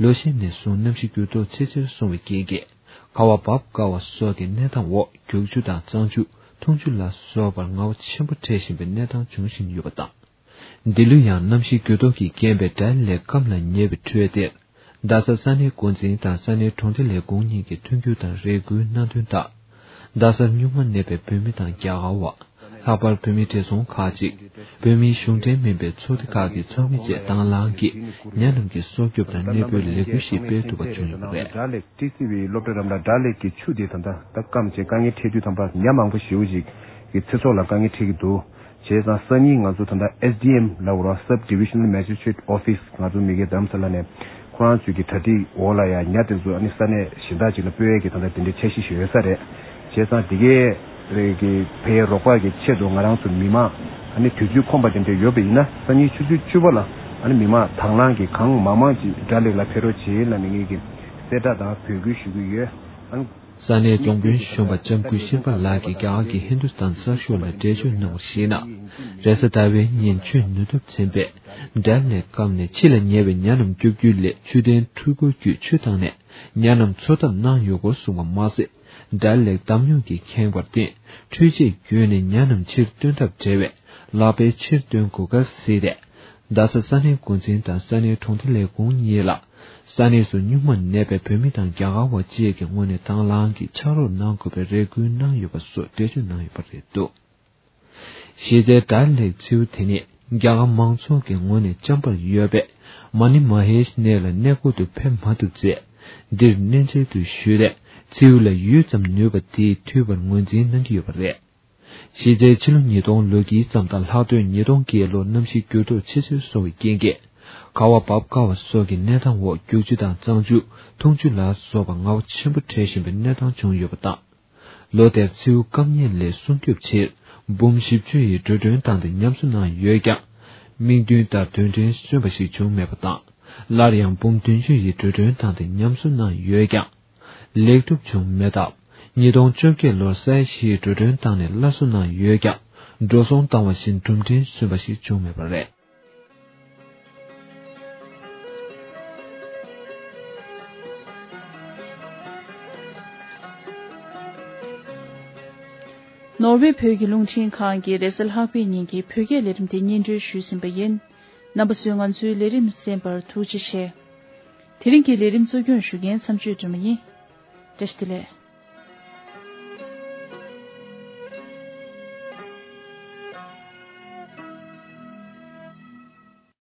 ལོ་ཤས་ནས་བཟུང་གནམ་གཤིས་འགྱུར་ལྡོག་ཆེ་ཆེར་སོང་བའི་རྐྱེན་གྱིས། ཁ་བ་འབབ་དཀའ་བ་སོགས་ཀྱི་གནས་སྟངས་འོག་རྒྱུག་ཆུ་དང་གཙང་ཆུ། འཐུང་ཆུ་ལ་སོགས་པར་ངལ་བ་ཆེན་པོ་འཕྲད་བཞིན་པའི་གནས་སྟངས་འབྱུང་བཞིན་ཡོད་པ་དང་། འདི་ལོ་ཡང་གནམ་གཤིས་འགྱུར་ལྡོག་གི་རྐྱེན་པས་དགྲ་ལྷས་སྐམ་ལ་ཉེ་བའི་ཁྲོད་དེར། རྡ་ས་ས་གནས་འགོ་འཛིན་དང་ས་གནས་གྲོང་སྡེ་ལས་ཁུངས་གཉིས་ཀྱིས་མཐུན་འགྱུར་དང་རེ་སྐུལ་གནང་དོན་ལྟར། རྡ་སར་སྨྱུག་མ་མནན་པའི་བོད་མི་དང་རྒྱ་གར་བ། ལྷག་པར་བོད་མི་བགྲེས་ཚོང་ཁག་ཅིག་བོད་མིའི་གཞུང་འབྲེལ་མིན་པའི་ཚོགས་སྡེ་ཁག་གི་ཚོགས་མི་བཅས་དང་བླངས་ཀྱིས་ཉ་རྣམས་ཀྱི་སྲོག་སྐྱོབ་དང་གནས་སྤོའི་ལས་འགུལ་ཞིག་སྤེལ་ཐུབ་པ་བྱུང་ཡོད་པ་རེད། དགྲ་ལྷས་ཊི་སི་ཝི་སློབ་གྲྭ་རམ་ལ་དགྲ་ལྷས་ཀྱི་ཆུ་དེ་ད་ལྟ་ད་སྐམ་བྱས་དཀའ་ངལ་འཕྲད་དུས་ཙམ་པ་ཉ་མང་པོ་ཞེ་པོ་ཅིག་གི་ཚེ་སྲོག་ལ་དཀའ་ངལ་འཕྲད་ཀྱི་འདུག་བྱས་ཙང་སང་ཉིན་ང་ཚོ་ད་ལྟ་ཨེས་ཌི་ཨེམ་ལབ་དགོས་རེད། Sub Divisional Magistrate Office ང་ཚོ་མི་སྒེར་རྡ་རམ་ས་ལ་ནས་ཁོ་རང་ཚོའི་གི་གྲ་སྒྲིག་འོག་ལ་ཡང་ཉ་དེ་ཚོ་ཨ་ནི་ས་གནས་གཞན་དག་ཅིག་ལ་སྤོ་ཡས་ཀྱི་ད་ལྟ་དེ་འདྲའི་འཆར་གཞི་ཞིག་ཡོད་ས་རེད། བྱས་ཙང་དེ་གའི་རེད་གི་ཕའི་རོགས་པ་གི་ཆེད་དུ་ང་རང་ཚོ་མི་མང་ཨ་ནི་དུས་ཚོད་ཁོམ་པ་དེ་འདྲ་ཡོད་པ་ཡིན་ན་སང་ཉིན་ཆུ་ཚོད་བཅུ་པ་ལ་ཨ་ནི་མི་མང་དང་བླངས་ཀྱིས་གང་མང་མང་ཅིག་དགྲ་ལྷས་ལ་ཕེབས་རོགས་བྱེད་ལབ་ནས་ངེད་ཀྱིས་གསལ་བསྒྲགས་དང་འབོད་སྐུལ་ཞུ་གི་ཡོད། ཨ་ནི། ས་གནས་རྫོང་དཔོན་གཞོན་པ་ལྕམ་སྐུ་ཤིར་པ་ལགས་ཀྱིས་རྒྱ་གར་གྱི་ཧིན་དུ་སྟན་གསར་ཤོག་ལ་འགྲེལ་བརྗོད་གནང་བར་གཞིགས་ན། རེས་གཟའ་ཟླ་བའི་ཉིན་ཆུ་ནུས་སྟོབས་ཆེན་པོས་དགྲ་ལྷས་སྐམ་ནས་ཕྱི་ལ་ཉེ་བའི་ཉ་རྣམས་སྐྱོབ་རྒྱུའི་སླད་ཆུ་ལྡན་འཕྲུལ་འཁོར་བརྒྱུད་ཆུ་བཏང་ནས་ཉ་རྣམས་འཚོ་ཐབས་གནང་ཡོད་སྐོར་གསུངས་པ་མ་ཟད། དགྲ་ལྷས་འདམ་ཉུང་གིས་ཁེངས་པར་བརྟེན་འཕྲུལ་ཆས་བརྒྱུད་ནས་ཉ་རྣམས་ཕྱིར་བཏོན་ཐབས་བྲལ་བས་ལག་པས་ཕྱིར་བཏོན་དགོས་སྐལ་གཟིགས་ཏེ། རྡ་ས་ས་གནས་འགོ་འཛིན་དང་ས་གནས་གྲོང་སྡེ་ལས་ཁུངས་གཉིས་ལ། ས་གནས་སུ་སྨྱུག་མ་མནན་པའི་བོད་མི་དང་རྒྱ་གར་བ་བཅས་ཀྱི་ངོས་ནས་དང་བླངས་ཀྱིས་ཕྱག་རོགས་གནང་དགོས་པའི་རེ་སྐུལ་གནང་ཡོད་པ་སོགས་འགྲེལ་བརྗོད་གནང་ཡོད་པ་རེད་འདུག་གཞི་རྩའི་དགྲ་ལྷས་མཚེའུ་དེ་ནི་རྒྱ་གར་མང་ཚོགས་ཀྱི་ངོས་ནས་བཅོམ་པར་ཡོད་པས། མ་ཎི་མ་ཧེ་ཤི་གནས་ལ་གནས་སྐོར་དུ་ཕེབས་མ་ཐུབ་ཚེ། འདིར་གནས་མཇལ་དུ་ཞུས་ཏེ། མཚེའུ་ལ་ཡུད་ཙམ་ནུས་པ་དེས་འཐུས་པར་ངོས་འཛིན་གནང་གི་ཡོད་པ་རེད། གཞི་རྩའི་ཕྱི་ལོ་ཉིས་སྟོང་ལོ་དཀྱིལ་ཙམ་དང་ལྷག་དུས་ཉིས་སྟོང་བརྒྱད་ལོར་གནམ་གཤིས་འགྱུར་ལྡོག་ཆེ་ཆེར་སོང་བའི་རྐྱེན་གྱིས། ཁ་བ་འབབ་དཀའ་བ་སོགས་ཀྱི་གནས་སྟངས་འོག་རྒྱུག་ཆུ་དང་གཙང་ཆུ། འཐུང་ཆུ་ལ་སོགས་པ་ངལ་བ་ཆེན་པོ་འཕྲད་བཞིན་པའི་གནས་སྟངས་བྱུང་ཡོད་པ་དང་། ལོ་དེར་མཚེའུ་སྐམ་ཉེན་ལས་སྲུང་སྐྱོབ་ཆེད་འབུམ་བཞི་བཅུ་ཡི་འགྲོ་གྲོན་བཏང་སྟེ་ཉམས་གསོ་གནང་ཡོད་ཀྱང་། དམིགས་འདུན་ལྟར་དོན་ཕྲན་སོན་པ་ཞིག་བྱུང་མེད་པ་དང་། སླར་ཡང་འབུམ་བདུན་ཅུ་ཡི་འགྲོ་གྲོན་བཏང་སྟེ་ཉམས་གསོ་གནང་ཡོད་ཀྱང་། ལེགས་གྲུབ་བྱུང་མེད་སྟབས། ཉིས་སྟོང་བཅོ་བརྒྱད་ལོར་ས་ཡ་བཞི་ཡི་འགྲོ་གྲོན་བཏང་ནས་སླར་གསོ་གནང་ཡོད་ཀྱང་། འགྲོ་སོང་བཏང་བ་བཞིན་གྲུབ་འབྲས་སོན་པ་ཞིག་བྱུང་མེད་པ་རེད། ནོར་ཝེ་བོད་ཀྱི་རླུང་འཕྲིན་ཁང་གི་རེས་གཟའ་ལྷག་པའི་ཉིན་གྱི་བོད་སྐད་ལས་རིམ་དེ་སྙན་སྒྲོན་ཞུས་ཟིན་པ་ཡིན། རྣམ་པ་ཚོས་ང་ཚོའི་ལས་རིམ་གསན་པར་ཐུགས་རྗེ་ཆེ། དེ་རིང་གི་ལས་རིམ་གཙོ་སྐྱོང་ཞུ་མཁན་མཚམས་གཅོད་སྒྲོལ་མ་ཡིན། བཀྲ་ཤིས་བདེ་ལེགས།